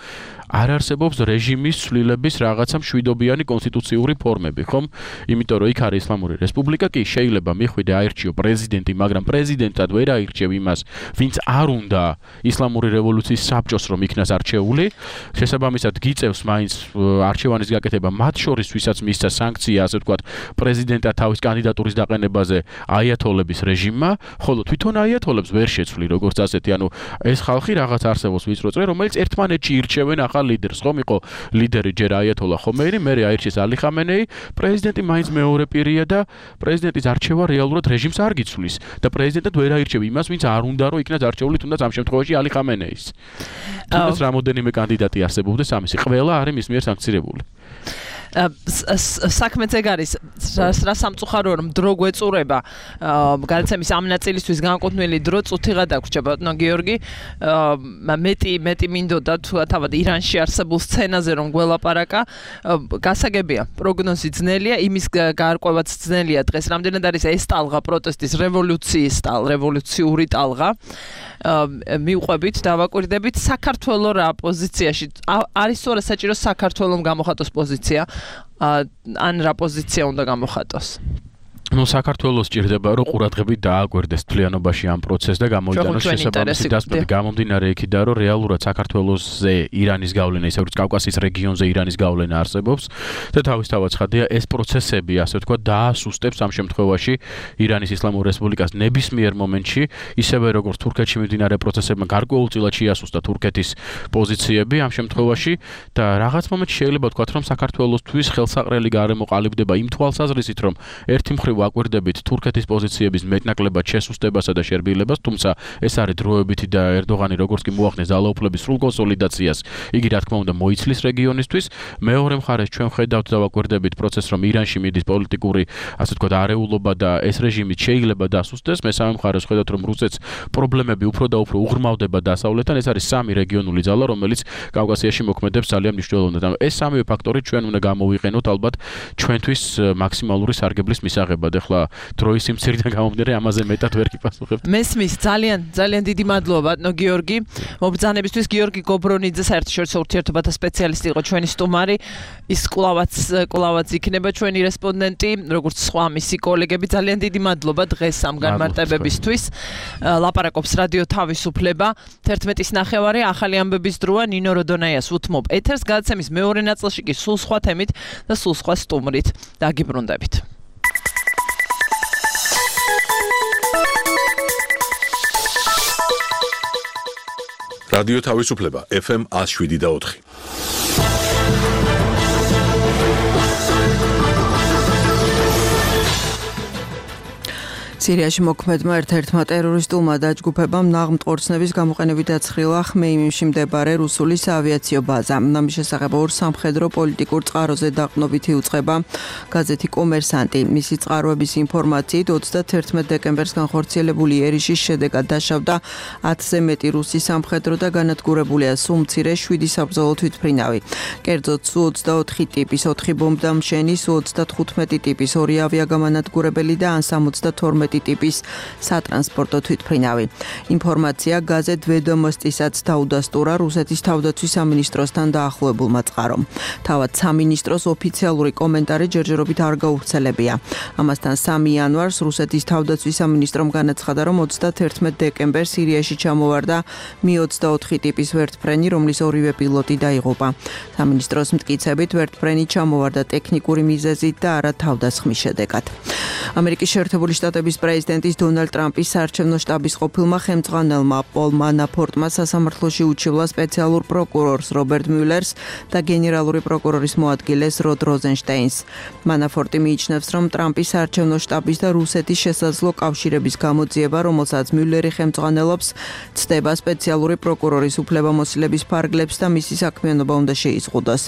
არ არსებობს რეჟიმის ცვლილების რაღაცა მშვიდობიანი კონსტიტუციური ფორმები, ხომ? იმიტომ რომ იქ არის ისლამური რესპუბლიკა, კი შეიძლება მიხვიდე აირჩიო პრეზიდენტი, მაგრამ პრეზიდენტად ვერ აირჩევ იმას, ვინც არ უნდა ისლამური რევოლუციის საბჭოს რომ იქნას არჩეული. შესაბამისად გიწევს მაინც არჩევანის გაკეთება მათ შორის, ვისაც მისცა სანქცია, ასე ვთქვათ, პრეზიდენტად თავის კანდიდატურის დაყენებაზე აიათოლების რეჟიმმა, ხოლო თვითონ აიათოლებს ვერ შეცვლი, როგორც ასეთი, ანუ ეს ხალხი რაღაც არსებობს ვიწრო წრე, რომელიც ერთმანეთში ირჩევენ ახალ ლიდერს, ხომ იყო ლიდერი ჯერ აიათოლა ხომეინი, მერე აირჩიეს ალი ხამენეი, პრეზიდენტი მაინც მეორე პირია მარტივია და პრეზიდენტის არჩევა რეალურად რეჟიმს არ გიცვლის და პრეზიდენტად ვერ აირჩევ იმას, ვინც არ უნდა რომ იქნას არჩეული, თუნდაც ამ შემთხვევაში ალი ხამენეის. თუნდაც რამოდენიმე კანდიდატი არსებობდეს ამისი, ყველა არის მის მიერ სანქცირებული. საქმეც ეგ არის რა სამწუხაროა რომ დრო გვეწურება გადაცემის ამ ნაწილისთვის განკუთვნილი დრო წუთიღა დაგვრჩა ბატონო გიორგი მეტი მინდოდა თუ თავად ირანში არსებულ სცენაზე რომ გველაპარაკა გასაგებია პროგნოზი ძნელია იმის გარკვევაც ძნელია დღეს რამდენად არის ეს ტალღა პროტესტის რევოლუციური ტალღა მიუყვებით დავაკვირდებით საქართველოს რა პოზიციაში არის თუ არა საჭირო საქართველოს გამოხატოს პოზიცია ან რა პოზიცია უნდა გამოხატოს საქართველოს ჭირდება რომ ყურადღებით დააკვირდეს თლიანობაში ამ პროცესს და გამოიტანოს შესაბამისი დასკვეთი გამომდინარე იქიდან რომ რეალურად საქართველოსზე ირანის გავლენა ისე როგორც კავკასიის რეგიონზე ირანის გავლენა არსებობს და თავისთავად ცხადია ეს პროცესები ასე ვთქვათ დაასუსტებს ამ შემთხვევაში ირანის ისლამურ რესპუბლიკას ნებისმიერ მომენტში ისევე როგორც თურქეთში მიმდინარე პროცესებმა გარკვეულწილად შეასუსტა თურქეთის პოზიციები ამ შემთხვევაში და რაღაც მომენტში შეიძლება ვთქვათ რომ საქართველოსთვის ხელსაყრელი გარემო ყალიბდება იმ თვალსაზრისით რომ ერთი მხრივ აკვირდებით თურქეთის პოზიციების მეტნაკლებად შესუსტებასა და შერბილებას, თუმცა ეს არის დროებითი და ერდოღანი როგორც კი მოახდენს ძალაუფლების სრულ კონსოლიდაციას, იგი რა თქმა უნდა მოიცლის რეგიონისთვის. მეორე მხარეს ჩვენ ხედავთ და ვაკვირდებით პროცესს, რომ ირანში მიდის პოლიტიკური, ასე ვთქვათ, არეულობა და ეს რეჟიმი შეიძლება დასუსტდეს. მესამე მხარეს ხედავთ, რომ რუსეთს პრობლემები უფრო და უფრო უღრმავდება დასავლეთთან. ეს არის სამი რეგიონული ძალა, რომელიც კავკასიაში მოქმედებს ძალიან მნიშვნელოვნად. ეს სამივე ფაქტორი ჩვენ უნდა გამოვიყენოთ ალბათ ჩვენთვის მაქსიმალური სარგებლის მისაღებად. ეხლა დროის სიმცირიდან გამომდინარე ამაზე მეტად ვერ გიპასუხებთ. მესმის ძალიან დიდი მადლობა ბატონო გიორგი. მობრძანებისთვის გიორგი გობრონიძე საერთაშორისო ურთიერთობათა სპეციალისტი იყო ჩვენი სტუმარი. ის კვლავაც იქნება ჩვენი რესპონდენტი, როგორც სხვა მისი კოლეგები. ძალიან დიდი მადლობა დღეს ამ განმარტებებისთვის. ლაპარაკობს რადიო თავისუფლება 11:09 ახალი ამბების დროა ნინო როდონაიას უთმობ ეთერს გადაცემის მეორე ნაწილში კი სულ სხვა თემით და სულ სხვა სტუმრით. დაგიბრუნდებით. რადიო თავისუფლება FM 107.4. სირიაში მოქმედმა ერთ-ერთმა ტერორისტულმა დაჯგუფებამ ნაღმტყორცნების გამოყენებით დაცხრილა ხმეიმიმშიtoire რუსული საავიაციო ბაზა. ამის შესახებ ორ სამხედრო პოლიტიკურ წყაროზე დაყრდნობითი უწყება გაზეთი კომერსანტი. მისი წყაროების ინფორმაციით 31 დეკემბერს განხორციელებული ერიშის შედეგად დაშავდა 10-ზე მეტი რუსი სამხედრო და განადგურებულია სულ მცირე 7 საბრძოლო თვითმფრინავი. კერძოდ სუ 24 ტიპის 4 ბომბდამშენი, სუ 35 ტიპის 2 ავიაგამანადგურებელი და ან 72 ტიპის სატრანსპორტო თვითმფრინავი. ინფორმაცია გაზეთ ვედომოსტისაც დაუდასტურა რუსეთის თავდაცვის სამინისტროსთან დაახლოებულმა წყარომ. თავად სამინისტროს ოფიციალური კომენტარი ჯერჯერობით არ გავრცელებია. ამასთან 3 იანვარს რუსეთის თავდაცვის სამინისტრომ განაცხადა, რომ 31 დეკემბერს სირიაში ჩამოვარდა Mi-24 ტიპის ვერტმფრენი, რომლის ორივე პილოტი დაიღუპა. სამინისტროს მტკიცებით ვერტმფრენი ჩამოვარდა ტექნიკური მიზეზით და არა თავდასხმის შედეგად. ამერიკის შეერთებული შტატების პრეზიდენტის დონალდ ტრამპის საარჩევნო შტაბის ყოფილმა ხელმძღვანელმა პოლ მანაფორტმა სასამართლოში უჩივლა სპეციალურ პროკურორს რობერტ მიულერს და გენერალური პროკურორის მოადგილეს როდ როზენშტეინს. მანაფორტი მიიჩნევს, რომ ტრამპის საარჩევნო შტაბის და რუსეთის შესაძლო კავშირების გამოძიება, რომელსაც მიულერი ხელმძღვანელობს, ცდება სპეციალური პროკურორის უფლებამოსილების ფარგლებს და მისი საქმიანობა უნდა შეიზღუდოს.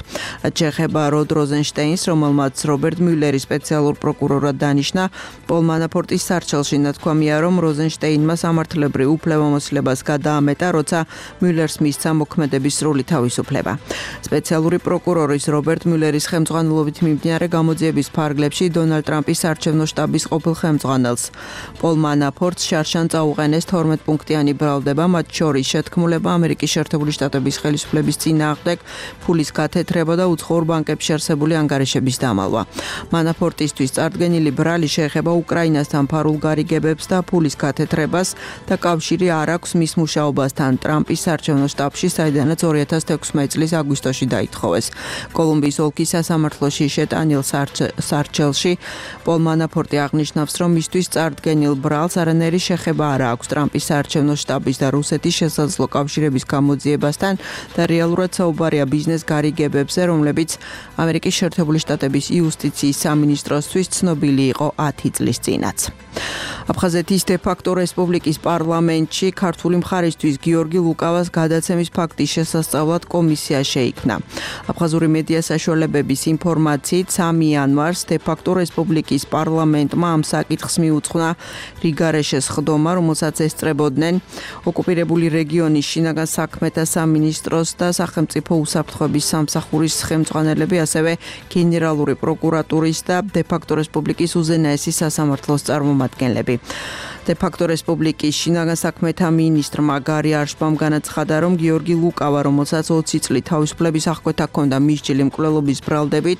რაც შეეხება როდ როზენშტეინს, რომელმაც რობერტ მიულერი სპეციალურ პროკურორად დანიშნა, პოლ მანაფორტის სარჩელში ნათქვამია, რომ როზენშტეინმა სამართლებრივ უფლებამოსილებას გადაამეტა, როცა მიულერს მისცა მოქმედების სრული თავისუფლება. სპეციალური პროკურორის რობერტ მიულერის ხელმძღვანელობით მიმდინარე გამოძიების ფარგლებში დონალდ ტრამპის საარჩევნო შტაბის ყოფილ ხელმძღვანელს პოლ მანაფორტს შარშან წაუყენეს 12 პუნქტიანი ბრალდება, მათ შორის შეთქმულება ამერიკის შეერთებული შტატების ხელისუფლების წინააღმდეგ, ფულის გათეთრება და უცხოურ ბანკებში არსებული ანგარიშების დამალვა. მანაფორტისთვის წარდგენილი ბრალი შეეხება უკრაინასთან ფარულ გარიგებებს და ფულის გათეთრებას და კავშირი არ აქვს მის მუშაობასთან ტრამპის საარჩევნო შტაბში, საიდანაც 2016 წლის აგვისტოში დაითხოვეს. კოლუმბიის ოლქის სასამართლოში შეტანილ სარჩელში პოლ მანაფორტი აღნიშნავს, რომ მისთვის წარდგენილ ბრალს არანაირი შეხება არ აქვს ტრამპის საარჩევნო შტაბის და რუსეთის შესაძლო კავშირების გამოძიებასთან და რეალურად საუბარია ბიზნეს გარიგებებზე, რომლებიც ამერიკის შეერთებული შტატების იუსტიციის სამინისტროსთვის ცნობილი იყო 10 წლის წინაც. აფხაზეთის დე-ფაქტო რესპუბლიკის პარლამენტში ქართული მხარისთვის გიორგი ლუკავას გადაცემის ფაქტის შესასწავლად კომისია შეიქმნა. აფხაზური მედია საშუალებების ინფორმაციით 3 იანვარს დე-ფაქტო რესპუბლიკის პარლამენტმა ამ საკითხს მიუძღვნა რიგარეშეს ხდომა, რომელსაც ესწრებოდნენ ოკუპირებული რეგიონის შინაგან საქმეთა სამინისტროს და სახელმწიფო უსაფრთხოების სამსახურის ხელმძღვანელები, ასევე გენერალური პროკურატურის და დე-ფაქტო რესპუბლიკის უზენაესი სასამართლოს წარმომადგენლები. დე-ფაქტო რესპუბლიკის შინაგან საქმეთა მინისტრმა გარი არშბამ განაცხადა, რომ გიორგი ლუკავა, რომელსაც 20 წლით თავისუფლების აღკვეთა ჰქონდა მისჯილი მკვლელობის ბრალდებით,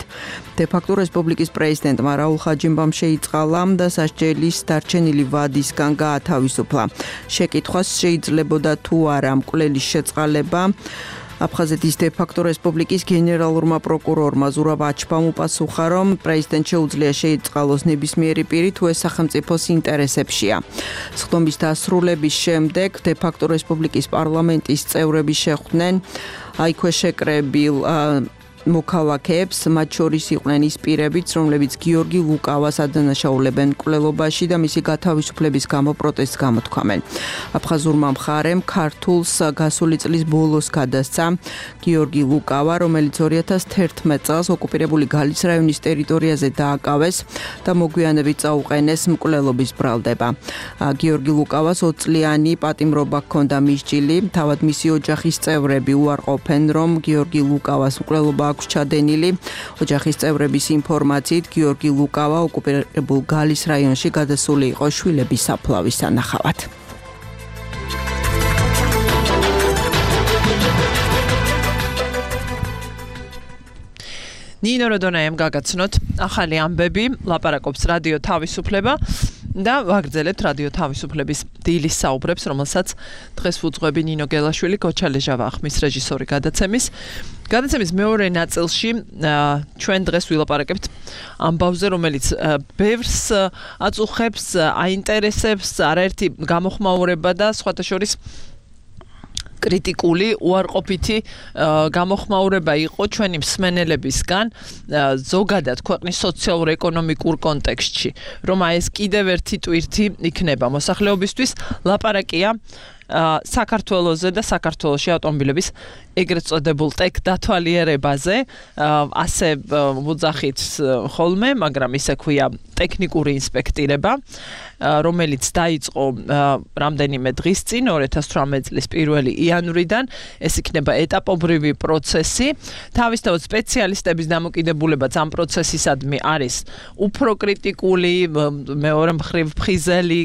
დე-ფაქტო რესპუბლიკის პრეზიდენტმა რაულ ხაჯიმბამ შეიწყალა და სასჯელის დარჩენილი ვადისგან გაათავისუფლა. შეკითხვას შეიძლებოდა თუ არა მკვლელის შეწყალება. აფხაზეთის დე-ფაქტო რესპუბლიკის გენერალურმა პროკურორმა ზურაბ აჩბამ უპასუხა, რომ პრეზიდენტ შეუძლია შეიწყალოს ნებისმიერი პირი, თუ ეს სახელმწიფოს ინტერესებშია. სხდომის დასრულების შემდეგ დე-ფაქტო რესპუბლიკის პარლამენტის წევრები შეხვდნენ აიქვე შეკრებილ მოქალაქეებს, მათ შორის იყვნენ ის პირებიც, რომლებიც გიორგი ლუკავას ადანაშაულებენ მკვლელობაში და მისი გათავისუფლების გამო პროტესტს გამოთქვამენ. აფხაზურმა მხარემ ქართულს გასული წლის ბოლოს გადასცა გიორგი ლუკავა, რომელიც 2011 წელს ოკუპირებული გალის რაიონის ტერიტორიაზე დააკავეს და მოგვიანებით წაუყენეს მკვლელობის ბრალდება. გიორგი ლუკავას 20 წლიანი პატიმრობა ჰქონდა მისჯილი, თავად მისი ოჯახის წევრები უარყოფენ, რომ გიორგი ლუკავას მკვლელობა აქვს ჩადენილი. ოჯახის წევრების ინფორმაციით გიორგი ლუკავა ოკუპირებულ გალის რაიონში გადასული იყო შვილების საფლავის სანახავად. ნინო როდონაიამ გაგაცნოთ ახალი ამბები, ლაპარაკობს რადიო თავისუფლება და ვაგრძელებთ რადიო თავისუფლების დილის საუბრებს, რომელსაც დღეს ვუძღვები ნინო გელაშვილი, გოჩა ლეჟავა ახმის რეჟისორი გადაცემის. გადაცემის მეორე ნაწილში ჩვენ დღეს ვილაპარაკებთ ამბავზე, რომელიც ბევრს აწუხებს, აინტერესებს, არაერთი გამოხმაურება და სხვათა შორის კრიტიკული უარყოფითი გამოხმაურება იყო ჩვენი მსმენელებისგან ზოგადად ქვეყნის სოციალურ-ეკონომიკურ კონტექსტში, რომ აი ეს კიდევ ერთი ტვირთი იქნება მოსახლეობისთვის. ლაპარაკია საქართველოზე და საქართველოში ავტომობილების ეგრეთ წოდებულ ტექ დათვალიერებაზე, ასე ვუძახით ხოლმე, მაგრამ ისე ქვია ტექნიკური ინსპექტირება, რომელიც დაიწყო რამდენიმე დღის წინ, 2018 წლის 1 იანვრიდან. ეს იქნება ეტაპობრივი პროცესი. თავისთავად სპეციალისტების დამოკიდებულებაც ამ პროცესისადმი არის უფრო კრიტიკული, მეორე მხრივ ფხიზელი,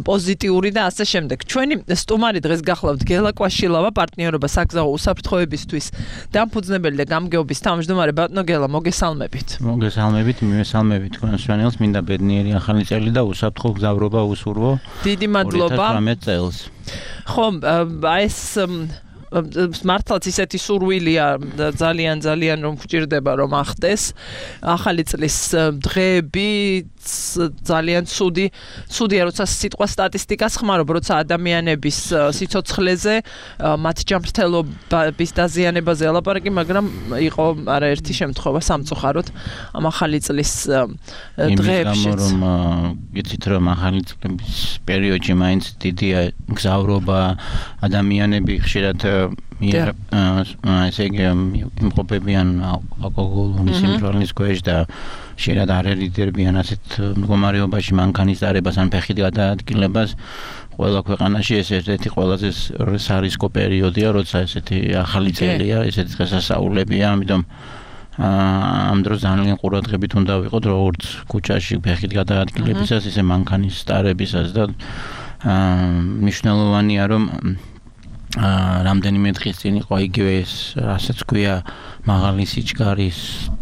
პოზიტიური და ასე შემდეგ. ჩვენი სტუმარი დღეს გახლავთ გელა კვაშილავა, პარტნიორობა საგზაო უსაფრთხოებისთვის დამფუძნებელი და გამგეობის თავმჯდომარე. ბატონო გელა, მოგესალმებით. მოგესალმებით, მივესალმებით თქვენს მშვენიელს, მინდა ბედნიერი ახალი წელი და უსაფრთხო გზავრობა უსურვო. დიდი მადლობა. 2018 წელს. ხო, ეს მართლაც ისეთი სურვილია ძალიან რომ გვჭირდება რომ ახდეს ახალი წლის დღეები ძალიან ცუდია როცა სიტყვა სტატისტიკას ხმარობ, როცა ადამიანების სიცოცხლეზე, მათ ჯანმრთელობის დაზიანებაზე ელაპარაკი, მაგრამ იყო არაერთი შემთხვევა სამწუხაროდ ამ ახალი წლის დღეებში. იმის გამო რომ იცით რომ ახალი წლების პერიოდში მაინც დიდია გზავრობა, ადამიანები ხშირად ესე იგი იმყოფებიან ალკოჰოლის სიმწვარის ქვეშ და შეიძლება არ ერიდერბიან ასეთ მდგომარეობაში მანქანის დარებას ან ფეხით გადაადგილებას. ყველა ქვეყანაში ეს ერთ-ერთი ყველაზე სარისკო პერიოდია, როცა ესეთი ახალი წელია, ესეთი დღესასწაულებია, ამიტომ ამ დროს ძალიან ყურადღებით უნდა ვიყოთ როგორც ქუჩაში ფეხით გადაადგილებისას, ისე მანქანის დარებისას და მნიშვნელოვანია რომ რამდენიმე დღის წინ იყო იგივე ეს, რასაც ქვია მაღალი სიჩქარის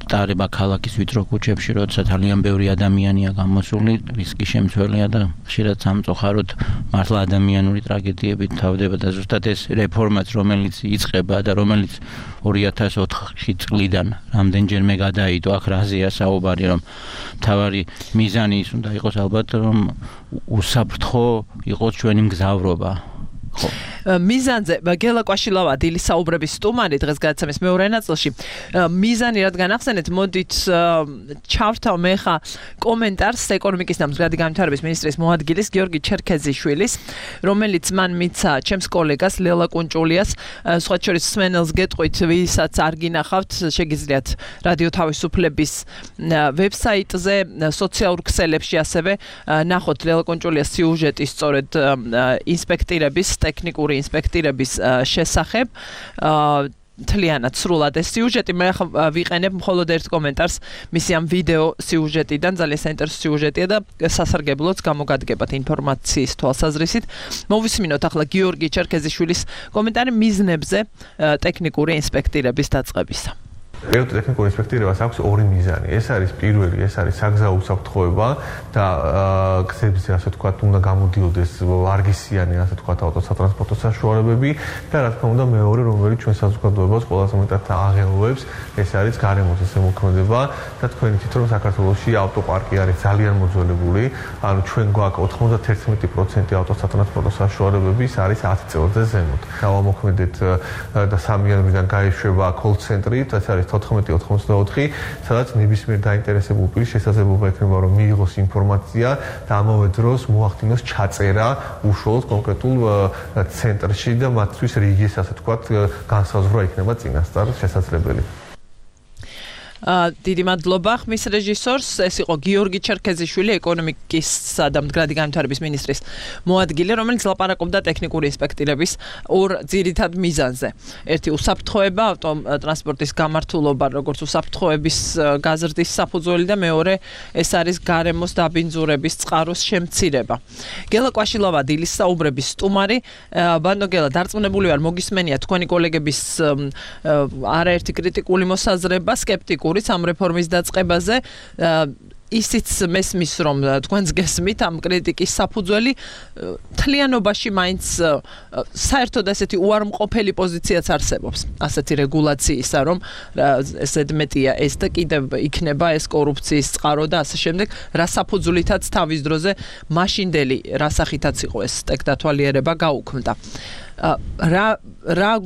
ტარება ქალაქის ვიწრო ქუჩებში, როცა ძალიან ბევრი ადამიანია გამოსული, რისკი შემცველია და ხშირად სამწუხაროდ მართლა ადამიანური ტრაგედიებით თავდება და ზუსტად ეს რეფორმაც, რომელიც იწყება და რომელიც 2004 წლიდან რამდენჯერმე გადაიდო, აქ რაზეა საუბარი, რომ მთავარი მიზანი ის უნდა იყოს ალბათ, რომ უსაფრთხო იყოს ჩვენი მგზავრობა. მიზანზე გელა კვაშილავა დილის საუბრების სტუმარი დღეს გადაცემის მეორე ნაწილში მიზანი რადგან ახსენეთ მოდით ჩავრთავ მე ხა კომენტარს ეკონომიკის და მზრადი განვითარების მინისტრის მოადგილის გიორგი ჩერქეზიშვილის რომელიც მან მიცა ჩემს კოლეგას ლელა კუნჭულიას სხვა შორის სმენელს გეტყვით ვისაც არ გინახავთ შეგიძლიათ რადიო თავისუფლების ვებსაიტზე სოციალურ ქსელებში ასევე ნახოთ ლელა კუნჭულიას სიუჟეტი სწორედ ინსპექტირების ტექნიკური ინსპექტირების შესახებ თლიანად სრულად ეს სიუჟეტი მე ვიყენებ მხოლოდ ერთ კომენტარს მისი ამ ვიდეო სიუჟეტიდან ძალიან საინტერესო სიუჟეტია და სასარგებლოც გამოგადგებათ ინფორმაციის თვალსაზრისით მოვისმინოთ ახლა გიორგი ჩერქეზიშვილის კომენტარი მიზნებზე ტექნიკური ინსპექტირების დაწყებისა პირველ ტექნიკურ ინსპექტირებას აქვს ორი მიზანი. ეს არის პირველი, ეს არის საგზაო უსაფრთხოება და გზებზე ასე ვთქვათ, უნდა გამოდიოდეს ვარგისიანი ასე ვთქვათ ავტოსატრანსპორტო საშუალებები და რა თქმა უნდა მეორე, რომელიც ჩვენ საზოგადოებას ყველაზე მეტად აღელვებს, ეს არის გარემოს ზემოქმედება და თქვენ იცით რომ საქართველოში ავტოპარკი არის ძალიან მოძველებული, ანუ ჩვენ გვაქვს 91% ავტოსატრანსპორტო საშუალებების არის 10 წელზე ზემოთ. დავამოქმედეთ და 3 იანვრიდან გაიშვება კოლ-ცენტრი, ეს არის 14-84, სადაც ნებისმიერ დაინტერესებულ პირს შესაძლებლობა ექნება რომ მიიღოს ინფორმაცია და ამავე დროს მოახდინოს ჩაწერა უშუალოდ კონკრეტულ ცენტრში და მათთვის რიგის ასე ვთქვათ განსაზღვრა იქნება წინასწარ შესაძლებელი. დიდი მადლობა ხმის რეჟისორს ეს იყო გიორგი ჩერქეზიშვილი ეკონომიკისა და მდგრადი განვითარების მინისტრის მოადგილე რომელიც ლაპარაკობდა ტექნიკური ინსპექტირების ორ ძირითად მიზანზე ერთი უსაფრთხოება ავტოტრანსპორტის გამართულობა როგორც უსაფრთხოების გაზრდის საფუძველი და მეორე ეს არის გარემოს დაბინძურების წყაროს შემცირება გელა კვაშილავა დილის საუბრების სტუმარი ბანდო გელა დარწმუნებული ვარ მოგისმენია თქვენი კოლეგების არაერთი კრიტიკული მოსაზრება სკეპტიკული ამ რეფორმის დაწყებაზე ისიც მესმის რომ თქვენს გესმით ამ კრიტიკის საფუძველი თლიანობაში მაინც საერთოდ ასეთი უარმყოფელი პოზიციაც არსებობს ასეთი რეგულაციისა რომ ეს ზედმეტია ეს და კიდევ იქნება ეს კორუფციის წყარო და ასე შემდეგ რა საფუძვლითაც თავის დროზე მაშინდელი რასახითაც იყო ეს ტექდათვალიერება გაუქმდა რა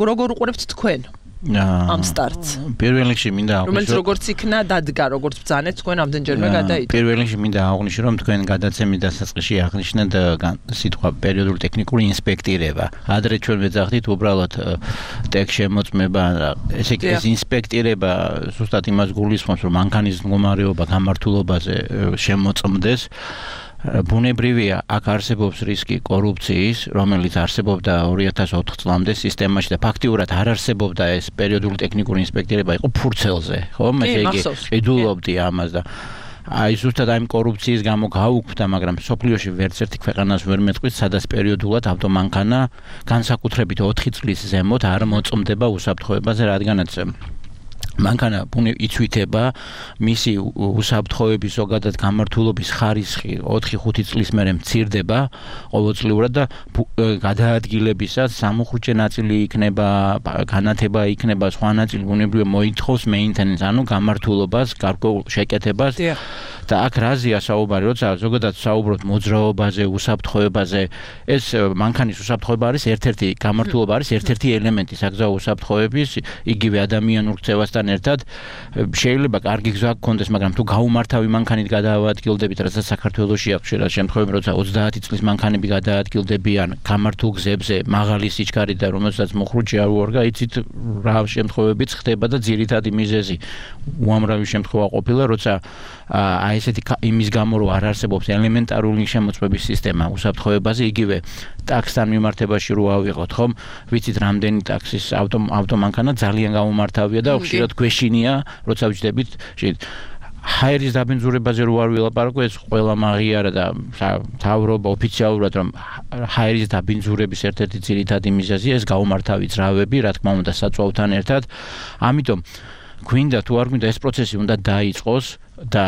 როგორ უყურებთ თქვენ ამ სტარტს. პირველ რიგში მინდა აღვნიშნო რომელიც როგორც იქნა დადგა, როგორც ბრძანეთ თქვენ ამდენჯერმე გადაიდო. პირველ რიგში მინდა აღვნიშნო რომ თქვენ გადაცემის დასაწყისში აღნიშნეთ სიტყვა პერიოდული ტექნიკური ინსპექტირება. ადრე ჩვენ ვეძახდით უბრალოდ ტექ შემოწმება, ესე იგი ეს ინსპექტირება ზუსტად იმას გულისხმობს რომ მანქანის მდგომარეობა გამართულობაზე შემოწმდეს. ბუნებრივია, აქ არსებობს რისკი კორუფციის, რომელიც არსებობდა 2004 წლამდე სისტემაში და ფაქტიურად არ არსებობდა ეს პერიოდული ტექნიკური ინსპექტირება იყო ფურცელზე, ხო? ესე იგი, იდულობდი ამას და აი ზუსტად ამ კორუფციის გამო გაუქმდა, მაგრამ სოფლიოში ვერც ერთი ქვეყანას ვერ მეტყვით, სადაც პერიოდულად ავტომანქანა განსაკუთრებით 4 წლის ზემოთ არ მოწმდება უსაფრთხოებაზე, რადგანაც მანქანა იცვითება მისი უსაფრთხოების ზოგადად გამართულობის ხარისხი 4-5 წლის მერე მცირდება ყოველწლიურად და გადაადგილებისას სამუხრუჭე ნაწილი იქნება, განათება იქნება, სხვა ნაწილი ბუნებრივია მოითხოვს მეინტენენს, ანუ გამართულობას, გარკვეულ შეკეთებას და აქ რაზეა საუბარი, როცა ზოგადად საუბრობთ მოძრაობაზე, უსაფრთხოებაზე, ეს მანქანის უსაფრთხოება არის ერთ-ერთი გამართულობა არის ერთ-ერთი ელემენტი საგზაო უსაფრთხოების, იგივე ადამიანურ ქცევასთან ერთად შეიძლება კარგი გზა გქონდეს, მაგრამ თუ გაუმართავი მანქანით გადაადგილდებით, რასაც საქართველოში აქვს შეიძლება შემთხვევები, როცა 30 წლის მანქანები გადაადგილდებიან გამართულ გზებზე, მაღალი სიჩქარით და რომელსაც მოხრუჭი არ უარგა, იცით რა შემთხვევებიც ხდება და ძირითადი მიზეზი უამრავი შემთხვევა ყოფილა, როცა აი ესეთი იმის გამო რომ არ არსებობს ელემენტარული შემოწმების სისტემა უსაფრთხოებაზე, იგივე ტაქსთან მიმართებაში რო ავიღოთ, ხომ? ვიცით რამდენი ტაქსის ავტომანქანა ძალიან გამომართავია და ხშირად გვეშინია, როცა ვიჯდებით, ჰაერის დაბინძურებაზე რო არ ვილაპარაკო, ეს ყველა მაღიარა და თავრობა ოფიციალურად რომ ჰაერის დაბინძურების ერთ-ერთი ძირითადი მიზეზია ეს გაუმართავი ძრავები, რა თქმა უნდა, საწვავთან ერთად. ამიტომ გვინდა თუ არ გვინდა ეს პროცესი უნდა დაიწყოს და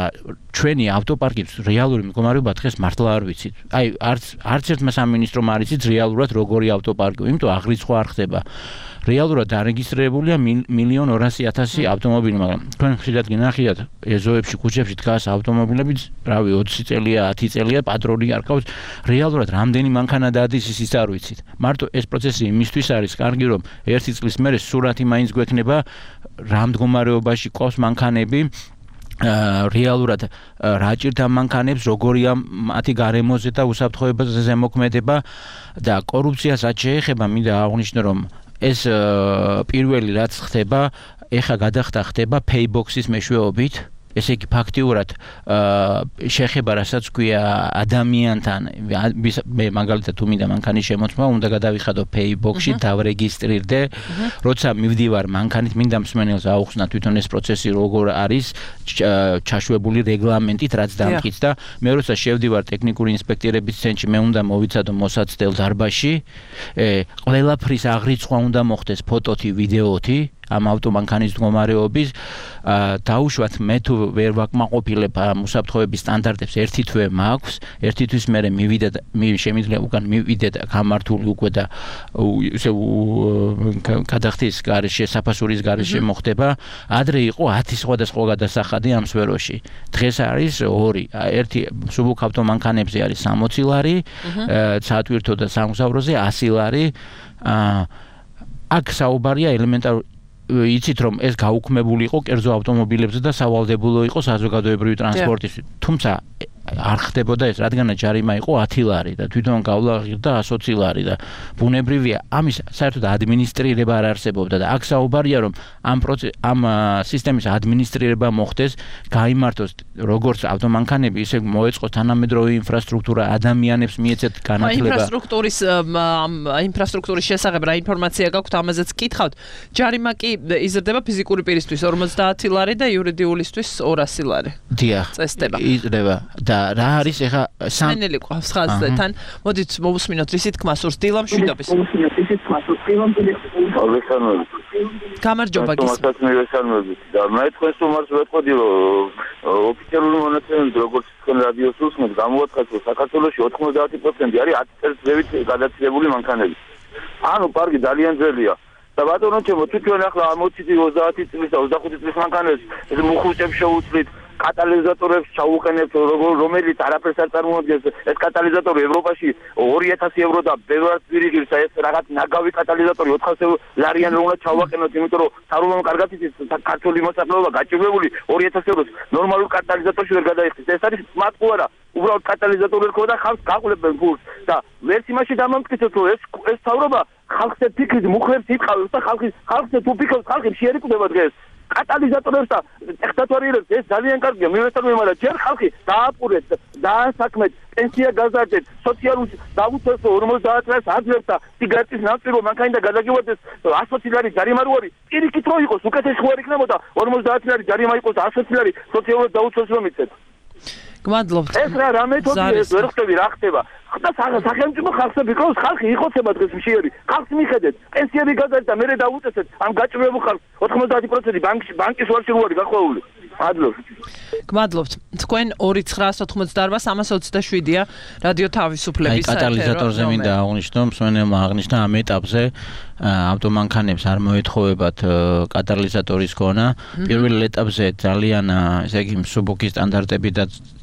ჩვენი ავტოპარკის რეალური მდგომარეობა დღეს მართლა არ ვიცით. აი არც ერთმა სამინისტრომ არ იცით რეალურად როგორი ავტოპარკია, იმიტომ აღრიცხვა არ ხდება. რეალურად დარეგისტრირებულია 1,200,000 ავტომობილი, მაგრამ თქვენ ხშირად გინახიათ ეზოებში, ქუჩებში დგას ავტომობილები, რავი 20 წელია, 10 წელია, პატრონი არ ყავს. რეალურად რამდენი მანქანა დადის ის არ ვიცით. მარტო ეს პროცესი იმისთვის არის კარგი, რომ 1 წლის მერე სურათი მაინც გვექნება რა მდგომარეობაში ყავს მანქანები. რეალურად რა ჭირდა მანქანებს, როგორია მათი გარემოზე და უსაფრთხოებაზე ზემოქმედება და კორუფციას რაც შეეხება, მინდა აღვნიშნო, რომ ეს პირველი რაც ხდება, ეხა გადახდა ხდება Paybox-ის მეშვეობით. ესე იგი ფაქტიურად შეხება რასაც ქვია ადამიანთან მე მაგალითად თუ მინდა მანქანის შემოწმება უნდა გადავიხადო Paybox-ში დავრეგისტრირდე როცა მივდივარ მანქანით მინდა მსმენელს აუხსნა თვითონ ეს პროცესი როგორ არის ჩაშვებული რეგლამენტით რაც დამტკიც და მე როცა შევდივარ ტექნიკური ინსპექტორების ცენტრში მე უნდა მოვიცადო მოსაცდელ დარბაზში ყველაფრის აღრიცხვა უნდა მოხდეს ფოტოთი ვიდეოთი ამ ავტომანქანის მდგომარეობის დაუშვათ მე თუ ვერ ვაკმაყოფილებ უსაფრთხოების სტანდარტებს ერთი თვე მაქვს ერთი თვის მერე მივიდე და შემიძლია უკან მივიდე და გამართული უკვე და ისე გადახდის გარეშე საფასურის გარეშე მოხდება ადრე იყო 10 სხვადასხვა გადასახადი ამ სფეროში დღეს არის 2 ერთი მსუბუქ ავტომანქანებზე არის 60 ლარი საათვირთო და სამგზავროზე 100 ლარი აქ საუბარია ელემენტარული იცით რომ ეს გაუქმებული იყო კერძო ავტომობილებზე და სავალდებულო იყო საზოგადოებრივი ტრანსპორტისთვის თუმცა არ ხდებოდა ეს რადგანაც ჯარიმა იყო 10 ლარი და თვითონ გავლა ღირდა 120 ლარი და ბუნებრივია ამის საერთოდ ადმინისტრირება არ არსებობდა და აქ საუბარია რომ ამ სისტემის ადმინისტრირება მოხდეს გაიმართოს როგორც ავტომანქანები ისე მოეწყოს თანამედროვე ინფრასტრუქტურა ადამიანებს მიეცეთ განათლება ინფრასტრუქტურის შესახებ რა ინფორმაცია გაქვთ ამაზეც გკითხავთ ჯარიმა კი იზრდება ფიზიკური პირისთვის 50 ლარი და იურიდიულისთვის 200 ლარი დიახ წესდება იზრდება და რა არის ეხა სანელი ყავს ხაზთან მოდით მოვუსმინოთ რისი თქმა სურს დილამ შვიდობის გამარჯობა გისმენთ და მე თქვენს უმარს ვეთყოდი რომ ოფიციალური მონაცემებით როგორც თქვენ რადიოს უსმენთ გამოაცხადეთ რომ საქართველოში 90% არის 10 წელს ზევით გადაცილებული მანქანები ანუ პარკი ძალიან ძველია და ბატონო ჩემო თვითონ ახლა ამოცით 30 წლის და 25 წლის მანქანებს ეს მუხუჭებს შეუცვლით კატალიზატორებს ჩაუყენებთ რომელიც არაფერს არ წარმოადგენს ეს კატალიზატორი ევროპაში 2000 евро და ბევრად ვირიგებს ეს რაღაც ნაგავი კატალიზატორი 400 ლარიანი უნდა ჩავაყენოთ იმიტომ რომ თარუმამ კარგად იცით ქართული მოსახლეობა გაჭირვებული 2000 ევროს ნორმალურ კატალიზატორში ვერ გადაიხდის ეს არის მატყუ არა უბრალოდ კატალიზატორი რქო და ხალხს გაყულებენ ფულს და ვერც იმაში დამამტკიცოთ რომ ეს თავრობა ხალხზე ფიქრით მუხლებს იტყავებს და ხალხზე თუ ფიქრობს ხალხი შეერკვდება დღეს კატალიზატორებს და ტექნატორიებს ეს ძალიან კარგია მივესალმე მაგრამ ჯერ ხალხი დააპურეთ დაასაქმეთ პენსია გაზარდეთ სოციალურ დაუცვეს 50 წელს აძლევს და სიგარეტის ნავწირო მანქანა გადაგივარდეს 120 ლარი ჯარიმა რო არის პირიქით რო იყოს უკეთესი ხო არ იქნებოდა 50 ლარი ჯარიმა იყოს 120 ლარი სოციალურ დაუცვეს რომ იცეთ გმადლობთ ეს რა მეთოდია ეს ვერ ხტები რა ხდება და სახელმწიფო ხალხზე ვიყავს ხალხი იხოცება დღეს მშიერი ხალხს მიხედეთ პენსიები გადაჭრა და მერე დაუწესეთ ამ გაჭირვებულ ხალხს 90% ბანკის ვარში რო არის გახვეული გმადლობთ თქვენ 2988-327-ია რადიო თავისუფლების კატალიზატორზე მინდა აღვნიშნო მსმენელმა აღნიშნა ამ ეტაპზე ავტომანქანებს არ მოეთხოვებათ კატალიზატორის ქონა პირველ ეტაპზე ძალიან ესე იგი მსუბუქი სტანდარტები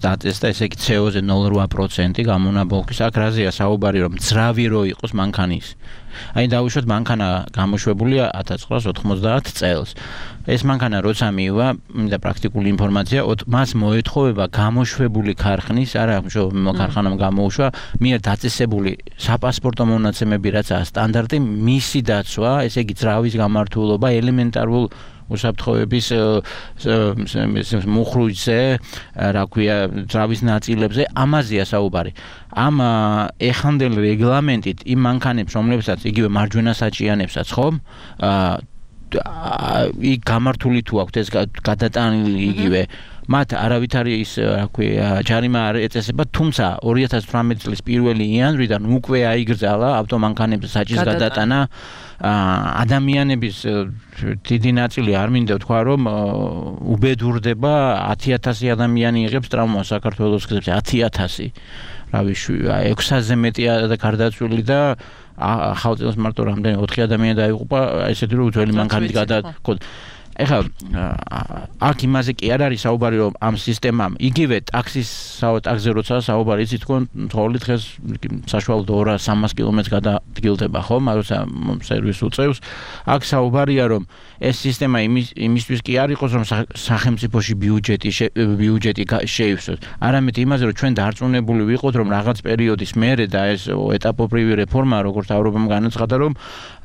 დაწესდა ესე იგი CO-ზე 0.8% გამონაბოლქვის აქ რაზეა საუბარი რომ ძრავი რო იყოს მანქანის აი დავუშვათ მანქანა გამოშვებულია 1990 წელს ეს მანქანა როცა მივა და პრაქტიკული ინფორმაცია მას მოეთხოვება გამოშვებული ქარხნის არა ქარხანამ გამოუშვა მიერ დაწესებული საფასპორტო მონაცემები რაცაა სტანდარტი მისი დაცვა ესე იგი ძრავის გამართულობა ელემენტარულ უსაფრთხოების მუხრუჭზე რა ქვია ძრავის ნაწილებზე ამაზეა საუბარი ამ ეხანდელ რეგლამენტით იმ მანქანებს რომლებსაც იგივე მარჯვენა საჭიანებსაც ხომ იქ გამართული თუ აქვს ეს გადატანილი იგივე მათ არავითარი ის რა ქვია ჯარიმა არ ეწესება, თუმცა 2018 წლის 1 იანვრიდან უკვე აიგრძალა ავტომანქანებზე საჭის გადატანა. ადამიანების დიდი ნაწილი არ მინდა ვთქვა, რომ უბედურდება 10,000 ადამიანი იღებს ტრამვას საქართველოს გზებზე 10,000. რავი 600-ზე მეტია და გარდაცვლილი და ხალხის მარტო რამდენი 4 ადამიანი დაიღუპა, ესეთი რომ ძველი მანქანით გადაყო. ეხლა აქ იმაზე კი არ არის საუბარი, რომ ამ სისტემამ იგივე ტაქსზე როცა საუბარი იცით თქვენ თოვლი დღეს საშუალოდ 200-300 კილომეტრს გადადგილდება, ხო? როცა სერვისს უწევს, აქ საუბარია, რომ ეს სისტემა იმისთვის კი არ იყოს, რომ სახელმწიფოში ბიუჯეტი შეივსოს. არამედ იმაზე, რომ ჩვენ დარწმუნებული ვიყოთ, რომ რაღაც პერიოდის მერე და ეს ეტაპობრივი რეფორმა, როგორც ავროპამ განაცხადა, რომ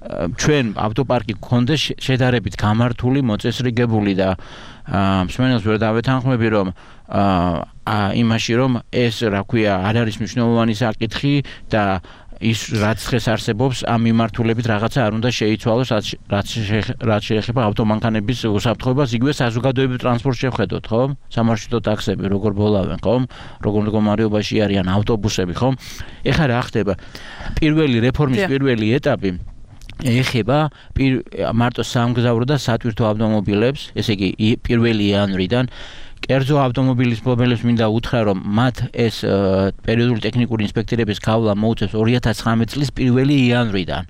ჩვენ ავტოპარკი გქონდეს შედარებით გამართული, მოწესრიგებული და მსმენელს ვერ დავეთანხმები, რომ იმაში, რომ ეს რა ქვია, არ არის მნიშვნელოვანი საკითხი და ის რაც დღეს არსებობს, ამ მიმართულებით რაღაცა არ უნდა შეიცვალოს, რაც შეეხება ავტომანქანების უსაფრთხოებას, იგივე საზოგადოებრივ ტრანსპორტს შევხედოთ, ხო? სამარშრუტო ტაქსები როგორ ბოლავენ, ხო? როგორ მდგომარეობაში არიან ავტობუსები, ხო? ეხლა რა ხდება? პირველი რეფორმის პირველი ეტაპი ეხება მარტო სამგზავრო და სატვირთო ავტომობილებს, ესე იგი 1 იანვრიდან კერძო ავტომობილის მფლობელებს მინდა უთხრა, რომ მათ ეს პერიოდული ტექნიკური ინსპექტორების გავლა მოუწევს 2019 წლის 1 იანვრიდან.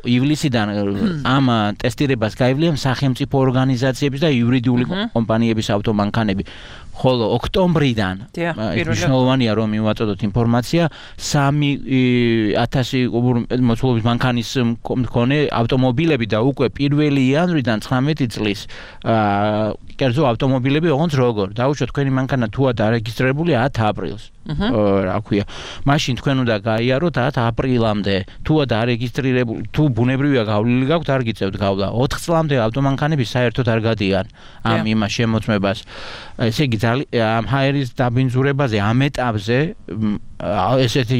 ივლისიდან ამ ტესტირებას გაივლიან სახელმწიფო ორგანიზაციების და იურიდიული კომპანიების ავტომანქანები. ხოლო ოქტომბრიდან მნიშვნელოვანია რომ მივაწოდოთ ინფორმაცია 3,000 მოცულობის მანქანის მქონე ავტომობილები და უკვე 1 იანვრიდან 19 წლის კერძო ავტომობილები ოღონდ როგორ დაუშვათ თქვენი მანქანა თუა დარეგისტრირებული 10 აპრილს რა ქვია მაშინ თქვენ უნდა გაიაროთ 10 აპრილამდე თუა დარეგისტრირებული თუ ბუნებრივია გავლილი გაქვთ არ გიწევთ გავლა 4 წლამდე ავტომანქანები საერთოდ არ გადიან ამ იმას შემოწმებას ესე იგი ამ ჰაერის დაბინძურებაზე ამ ეტაპზე ესეთი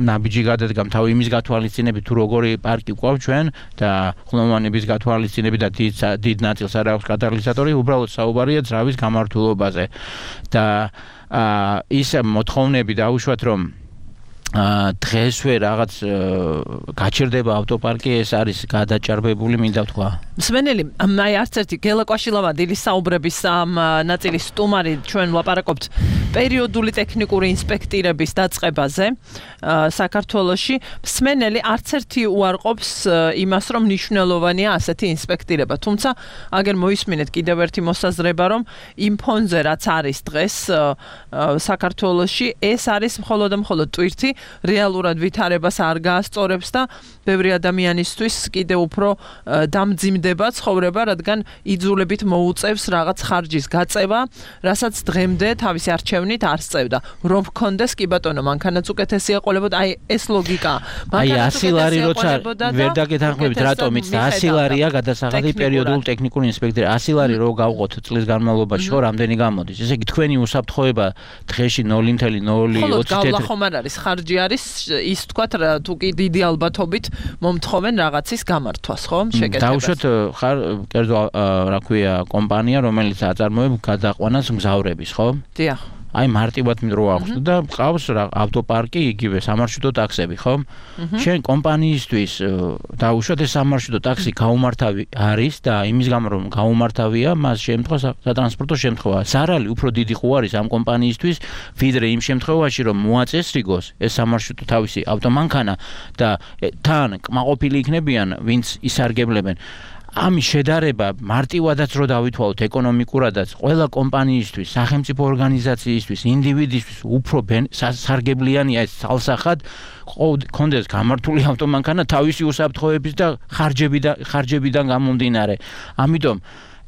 ნაბიჯი გადადგა თავი იმის გათვალისწინებით თუ როგორი პარკი გვყავს ჩვენ და ხმოვანების გათვალისწინებით და დიდ ნაწილს არ აქვს კატალიზატორი უბრალოდ საუბარია ძრავის გამართულობაზე და ის მოთხოვნები დაუშვათ რომ დღესვე რაღაც გაჩერდება ავტოპარკი ეს არის გადაჭარბებული მინდა ვთქვა მსმენელი აი არც ერთი გელაკვაშილავადილის საუბრების ამ ნაწილის სტუმარი ჩვენ ვლაპარაკობთ პერიოდული ტექნიკური ინსპექტირების დაწყებაზე საქართველოში მსმენელი არც ერთი უარყოფს იმას რომ მნიშვნელოვანია ასეთი ინსპექტირება თუმცა აგერ მოისმინეთ კიდევ ერთი მოსაზრება რომ იმ ფონზე რაც არის დღეს საქართველოში ეს არის მხოლოდ და მხოლოდ ტვირთი რეალურად ვითარებას არ გაასწორებს და ბევრი ადამიანისთვის კიდევ უფრო დამძიმდება ცხოვრება, რადგან იძულებით მოუწევს რაღაც ხარჯის გაწევა, რასაც დღემდე თავისი არჩევნით არ სწევდა. რომ გქონდეს კი ბატონო, მანქანაც უკეთესი ეყოლებოდა, აი ეს ლოგიკა. აი 100 ლარი როცა ვერ დაგეთანხმებით რატომიც და 100 ლარია გადასახადი პერიოდულ ტექნიკური ინსპექტორი. 100 ლარი რო გავყოთ წლის განმავლობაში, ხო რამდენი გამოდის. ესე იგი თქვენი უსაფრთხოება დღეში 0.020 თეთრი. ხომ არ არის ხარჯი არის ის თქვათ თუ კი დიდი ალბათობით მომთხოვენ რაღაცის გამართვას, ხო? შეკეთებას. დაუშვათ ხარ კერძო რა ქვია კომპანია, რომელიც აწარმოებს გადაყვანას მგზავრების, ხო? დიახ. აი მარტივად რო აღხსნა და ყავს ავტოპარკი იგივე სამარშრუტო ტაქსები, ხო? შენ კომპანიისთვის დაუშვათ ეს სამარშრუტო ტაქსი გაუმართავი არის და იმის გამო რომ გაუმართავია, მას შემთხვევას სატრანსპორტო შემთხვევა. ზარალი უფრო დიდი ხო არის ამ კომპანიისთვის, ვიდრე იმ შემთხვევაში რომ მოაწესრიგოს ეს სამარშრუტო თავისი ავტომანქანა და თან კმაყოფილი იქნებიან, ვინც ისარგებლებენ. ამის შედარება მარტივადაც რო დავითვალოთ ეკონომიკურადაც ყველა კომპანიისთვის, სახელმწიფო ორგანიზაციისთვის, ინდივიდისთვის უფრო სარგებლიანია ეს ცალსახად კონდეს გამართული ავტომანქანა თავისი უსაფრთხოების და ხარჯებიდან გამომდინარე. ამიტომ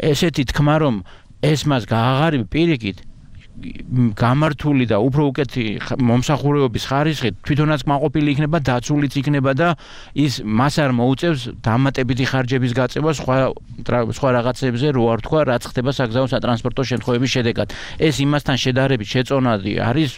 ესეთი თქმა რომ ეს მას გააღარიბ პირიქით გამართული და უფრო უკეთი მომსახურებების ხარისხი თვითონაც კმაყოფილი იქნება, დაცულიც იქნება და ის მას არ მოუწევს დამატებითი ხარჯების გაწევას სხვა რაღაცებზე, რო არ თქვა, რაც ხდება საგზაო სატრანსპორტო შემთხვევების შედეგად. ეს იმასთან შედარებით შეწონადი არის,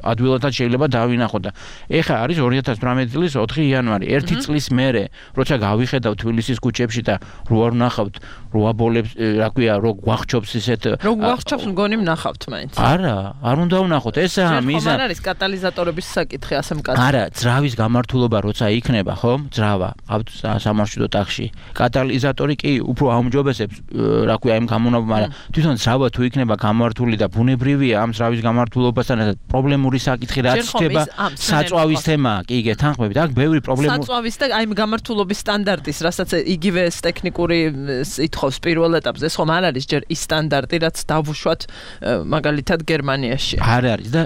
ადვილადაც შეიძლება დავინახო და ეხა არის 2018 წლის 4 იანვარი, 1 წლის მერე, როცა გავიხედავ თბილისის ქუჩებში და რო არ ვნახავთ, რო აბოლებს, რა ქვია, რო გვახჩობს ისეთ რო გვახჩობს მგონი ვნახავთ მაინც. არა, არ უნდა ვნახოთ, ესაა მიზანი. არ არის კატალიზატორების საკითხი ასე მკაცრი. არა, ძრავის გამართულობა როცა იქნება, ხო? ძრავა სამარშრუტო ტაქსში. კატალიზატორი კი უფრო აუმჯობესებს, რა ქვია, იმ გამონაბ, მაგრამ თვითონ ძრავა თუ იქნება გამართული და ბუნებრივია ამ ძრავის გამართულობასთან ერთად პრობლემური საკითხი რაც ხდება, საწვავის თემა, კი გეთანხმებით, აქ ბევრი პრობლემა. საწვავის და აი გამართულობის სტანდარტის, რასაც იგივე ტექნიკური ითხოვს პირველ ეტაპზე, ხომ არ არის ჯერ ის სტანდარტი, რაც დავუშვათ მაგალითად გერმანიაში. არ არის და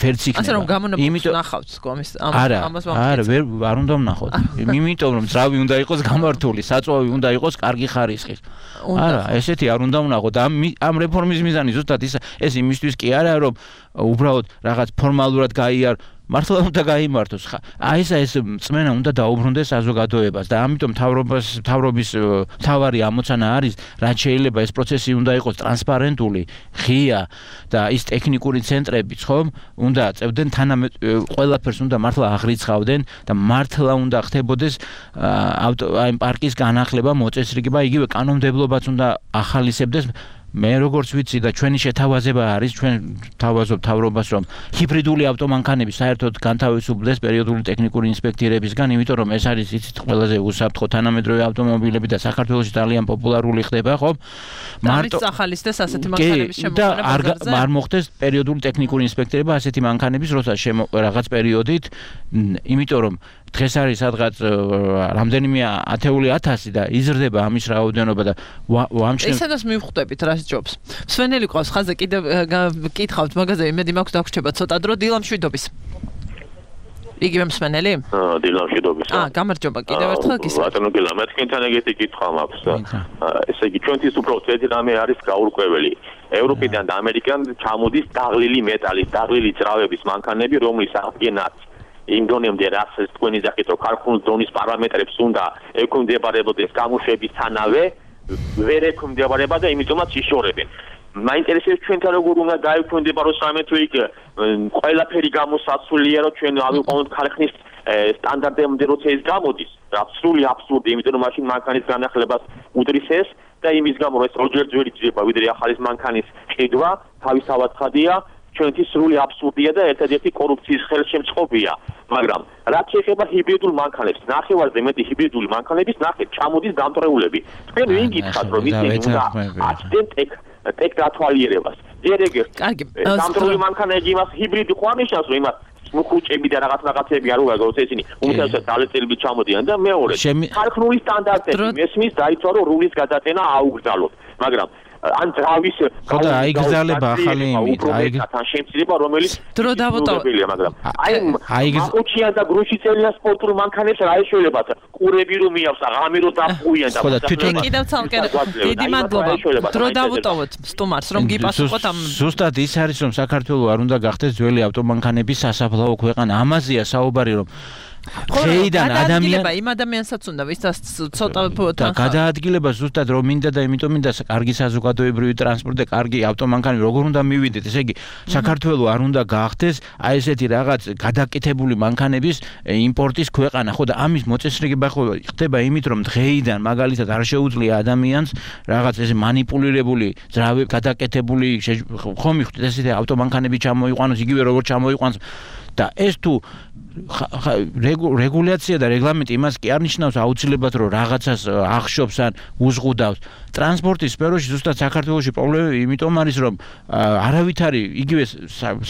ვერც იქნება. ასე რომ გამონაბოლს ნახავთ კომის ამას არა, არ უნდა ვნახოთ. იმიტომ რომ ძრავი უნდა იყოს გამართული, საწვავი უნდა იყოს კარგი ხარისხის. არა, ესეთი არ უნდა ვნახოთ. ამ რეფორმის მიზანი ზუსტად ეს იმისთვის კი არა, რომ უბრალოდ რაღაც ფორმალურად გაიარ მართლა უნდა გაიმართოს. აი ეს წმენა უნდა დაუბრუნდეს საზოგადოებას და ამიტომ მთავრობის მთავარი ამოცანა არის, რაც შეიძლება ეს პროცესი უნდა იყოს ტრანსპარენტული, ღია და ის ტექნიკური ცენტრებიც ხომ უნდა წევდნენ ყველაფერს უნდა მართლა აღრიცხავდნენ და მართლა უნდა ხდებოდეს აი პარკის განახლება, მოწესრიგება, იგივე კანონმდებლობაც უნდა ახალისებდეს. მე როგორც ვიცი და ჩვენი შეთავაზება არის, ჩვენ თავაზობთ მთავრობას, რომ ჰიბრიდული ავტომანქანები საერთოდ განთავისუფლდეს პერიოდული ტექნიკური ინსპექტირებისგან, იმიტომ რომ ეს არის იცით ყველაზე უსაფრთხო თანამედროვე ავტომობილები და საქართველოში ძალიან პოპულარული ხდება, ხო? მარტო ახალისდეს ასეთი მანქანების შემოყვანა და არ მოხდეს პერიოდული ტექნიკური ინსპექტირება ასეთი მანქანების, როცა რაღაც პერიოდით, იმიტომ რომ დღეს არის სადღაც რამდენიმე ათეული ათასი და იზრდება ამის რაოდენობა და ვამჩნევ ისედაც მივხვდებით რა ჯობს. სვენელი ყავს ხაზე კიდევ გკითხავთ მაგაზე, იმედი მაქვს დაგვრჩება ცოტა დრო დილამშვიდობის. იგივე მსვენელი? დილამშვიდობის. გამარჯობა კიდევ ერთხელ გისმენთ. ბატონო გილა, მე თქვენთან ეგეთი კითხვა მაქვს და ესე იგი ჩვენთვის უფრო ძველი რამე არის გაურკვეველი. ევროპიდან და ამერიკიდან ჩამოდის დაღლილი მეტალის, დაღლილი ძრავების მანქანები, რომლის აღდგენაც იმ დონემდე რაც თქვენი ძახით რომ ქარხნის დონის პარამეტრებს უნდა ექვემდებარებოდეს გამოშვებისთანავე ვერ ექვემდებარება და იმიტომაც იშორებენ. მაინტერესებს ჩვენთან როგორ უნდა დაექვემდებაროს რამე თუ იქ ყველაფერი გამოსაცულია რომ ჩვენ ავიყვანოთ ქარხნის სტანდარტებამდე როცა ეს გამოდის. აბსოლუტური აბსურდი, იმიტომ რომ მაშინ მანქანის განახლებას უდრის ეს და იმის გამო რომ ეს ორჯერ ძველი ძება ვიდრე ახალის მანქანის ყიდვა თავისთავად ხადია. ჩვენთვის სრული აბსურდია და ერთადერთი კორუფციის ხელშემწყობია, მაგრამ რაც შეეხება ჰიბრიდულ მანქანებს, ნახევარზე მეტი ჰიბრიდული მანქანების ნახეთ, ჩამოდის დამტვრეულები. თქვენ ვინ გითხართ, რომ ისინი უნდა აცდენ ტექ დათვალიერებას. ჯერ ეგ დამტვრეული მანქანები იმას ჰიბრიდი ხო აღნიშნავს, რომ იმას ხუჭები და რაღაცები არ უნდა გქონდეს ისინი, უმეტესად დალეწილებით ჩამოდიან და მეორე, ქარხნული სტანდარტები მესმის დაიცვა რომ რულის გადატენა აუგზავნოთ, მაგრამ ან ძრავის ხოდა აიგზალება ახალი თან შემცირება რომელიც დრო დავუტოვებელია, მაგრამ აი მაყუჩიან და გრუშიცელიან სპორტულ მანქანებს რა ეშველებათ ყურები რომ მიავს აღამი რომ დაფუიან და ხოდა თვითონ კიდევ ცალკე დიდი მადლობა დრო დავუტოვოთ სტუმარს რომ გიპასუხოთ ამ ზუსტად ის არის რომ საქართველოს არ უნდა გახდეს ძველი ავტომანქანების სასაფლაო ქვეყანა, ამაზეა საუბარი რომ ხეიდან ადამიანი იმ ადამიანსაც უნდა ვისაც ცოტა გადაადგილება ზუსტად რომ მინდა და იმიტომ მინდა კარგი საზოგადოებრივი ტრანსპორტი და კარგი ავტომანქანები როგორ უნდა მივიდეთ, ესე იგი საქართველოს არ უნდა გახდეს აი ესეთი რაღაც გადაკეთებული მანქანების იმპორტის ქვეყანა, ხო და ამის მოწესრიგება ხო ხდება იმით რომ დღეიდან მაგალითად არ შეუძლია ადამიანს რაღაც ესე манипуლირებული ძრავი გადაკეთებული ხო მიხვდეთ ესეთი ავტომანქანები ჩამოიყვანოს იგივე როგორც ჩამოიყვანს და ეს თუ რეგულაცია და რეგლამენტი იმას კი არ ნიშნავს აუცილებლად რომ რაღაცას ახშობს ან უზღუდავს. ტრანსპორტის სფეროში ზუსტად საქართველოში პრობლემები იმიტომ არის რომ არავითარი იგივე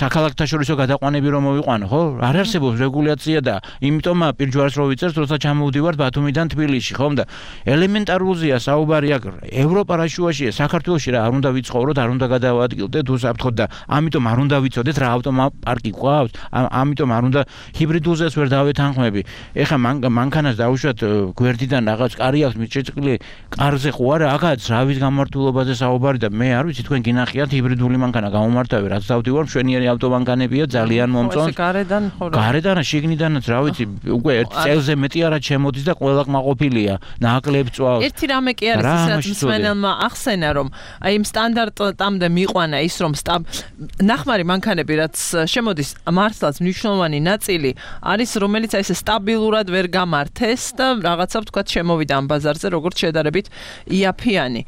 საქალაქთაშორისო გადაყვანები რომ მოვიყვანო, ხო? არ არსებობს რეგულაცია და იმიტომ პირჯვარს რო ვიწერთ, როცა ჩამოვდივართ ბათუმიდან თბილისში, ხომ და ელემენტარულზეა საუბარი აქ ევროპა რა შუაშია, საქართველოში რა არ უნდა ვიცხოვროთ, არ უნდა გადავადგილდეთ უსაფრთხოდ და ამიტომ არ უნდა ვიცოდეთ რა ავტომობილი პარკი გვყავს, ამიტომ არ უნდა ჰიბრიდული ჰიბრიდულზეც ვერ დავეთანხმები. ეხლა მანქანას დავუშვათ გვერდიდან რაღაც კარი აქვს მიჭრილი, კარზე ხო არა, აქაც რავის გამართულობაზე საუბარი და მე არ ვიცი თქვენ გინახიათ ჰიბრიდული მანქანა გამომართავი, რაც დავდივარ მშვენიერი ავტომანქანებია ძალიან მომწონს. გარედან შიგნიდანაც რა ვიცი, უკვე 1 წელზე მეტი არა ჩემოდის და ყველა კმაყოფილია, ნაკლებ წვავს. ერთი რამე კი არის ის რაც მსმენელმა ახსენა, რომ აი იმ სტანდარტამდე მიყვანა ის რომ ნახმარი მანქანები რაც შემოდის მართლაც მნიშვნელოვანი ნაწილი არის რომელიც აი ესე სტაბილურად ვერ გამართეს და რაღაცა ვთქვათ შემოვიდა ამ ბაზარზე როგორც შედარებით იაფიანი.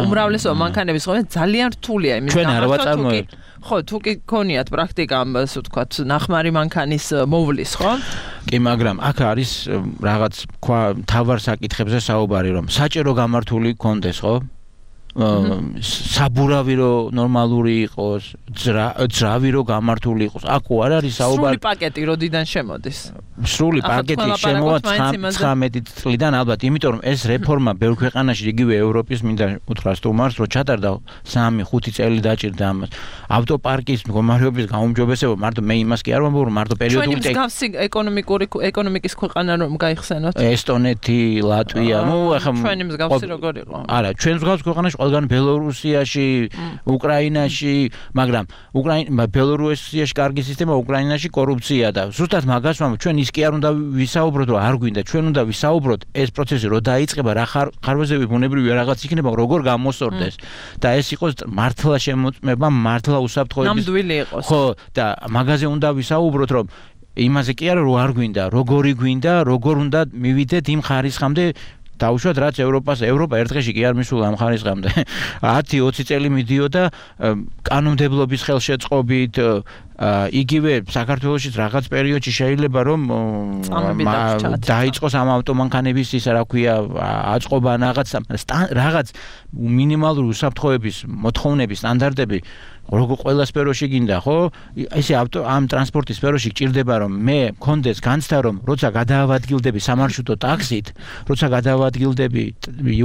უმრავლესობა მანქანების ხოლმე ძალიან რთულია იმის გამართვა. ხო, თუ კი გქონიათ პრაქტიკა ასე ვთქვათ ნახმარი მანქანის მოვლის, ხო? კი, მაგრამ აქ არის რაღაც თავარ საკითხებზე საუბარი, რომ საჭირო გამართული კონდეს, ხო? საბურავი რო ნორმალური იყოს, ძრავი რო გამართული იყოს. აქ არ არის საუბარი. სრული პაკეტი როდიდან შემოდის? სრული პაკეტი შემოვა 19 წლიდან ალბათ, იმიტომ რომ ეს რეფორმა ბევრ ქვეყანაში იგივე ევროპის მინდა უთხრა სტუმარს, რომ ჩატარდა 3-5 წელი დაჭირდა ამას. ავტოპარკის მდგომარეობის გაუმჯობესება მარტო მე იმას კი არ ვამბობ, რომ მარტო პერიოდული მსგავსი ეკონომიკის ქვეყანა რომ გაიხსენოთ. ესტონეთი, ლატვია, ახლა ჩვენი მსგავსი როგორ იყო? არა, ჩვენ მსგავს ქვეყანაში ყველგან ბელორუსიაში, უკრაინაში, მაგრამ ბელორუსიაში კარგი სისტემა, უკრაინაში კორუფცია და ზუსტად მაგას ვამბობ, ჩვენ ის კი არ უნდა ვისაუბროთ, რომ არ გვინდა, ჩვენ უნდა ვისაუბროთ ეს პროცესი რო დაიწყება, რა ხარვეზები ბუნებრივი რაღაც იქნება, როგორ გამოსორდეს და ეს იყოს მართლა შემოწმება, მართლა უსაფრთხოების ნამდვილი იყოს. ხო, და მაგაზე უნდა ვისაუბროთ, რომ იმაზე კი არა, რომ არ გვინდა, როგორი გვინდა, როგორ უნდა მივიდეთ იმ ხარისხამდე დავუშვათ რაც ევროპა ერთ დღეში კი არ მისულა ამ ხარისხამდე 10-20 წელი მიდიოდა კანონმდებლობის ხელშეწყობით იგივე საქართველოში რაღაც პერიოდში შეიძლება რომ დაიწყოს ამ ავტომანქანების ისა რა ქვია აწყობა რაღაც მინიმალური უსაფრთხოების მოთხოვნების სტანდარტები როგორ ყველა სფეროში გინდა ხო ესე ამ ტრანსპორტის სფეროში გჭირდება რომ მე მქონდეს განცდა რომ როცა გადაავადგილდები სამარშრუტო ტაქსით როცა გადაავადგილდები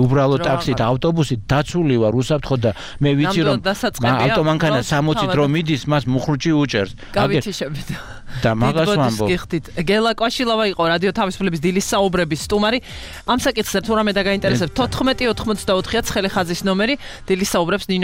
უბრალო ტაქსით ავტობუსით დაცული ვარ უსაფრთხო და მე ვიცი რომ ავტომანქანა 60-ით რომ მიდის მას მუხრუჭი უჭერს გავითიშებით და მაგას ვამბობ გელა კვაშილავა იყო რადიო თავისუფლების დილის საუბრების სტუმარი ამ საკითხზე თუ რამე დაგაინტერესებთ 14 94-ია ცხელი ხაზის ნომერი დილის საუბრებს ნინო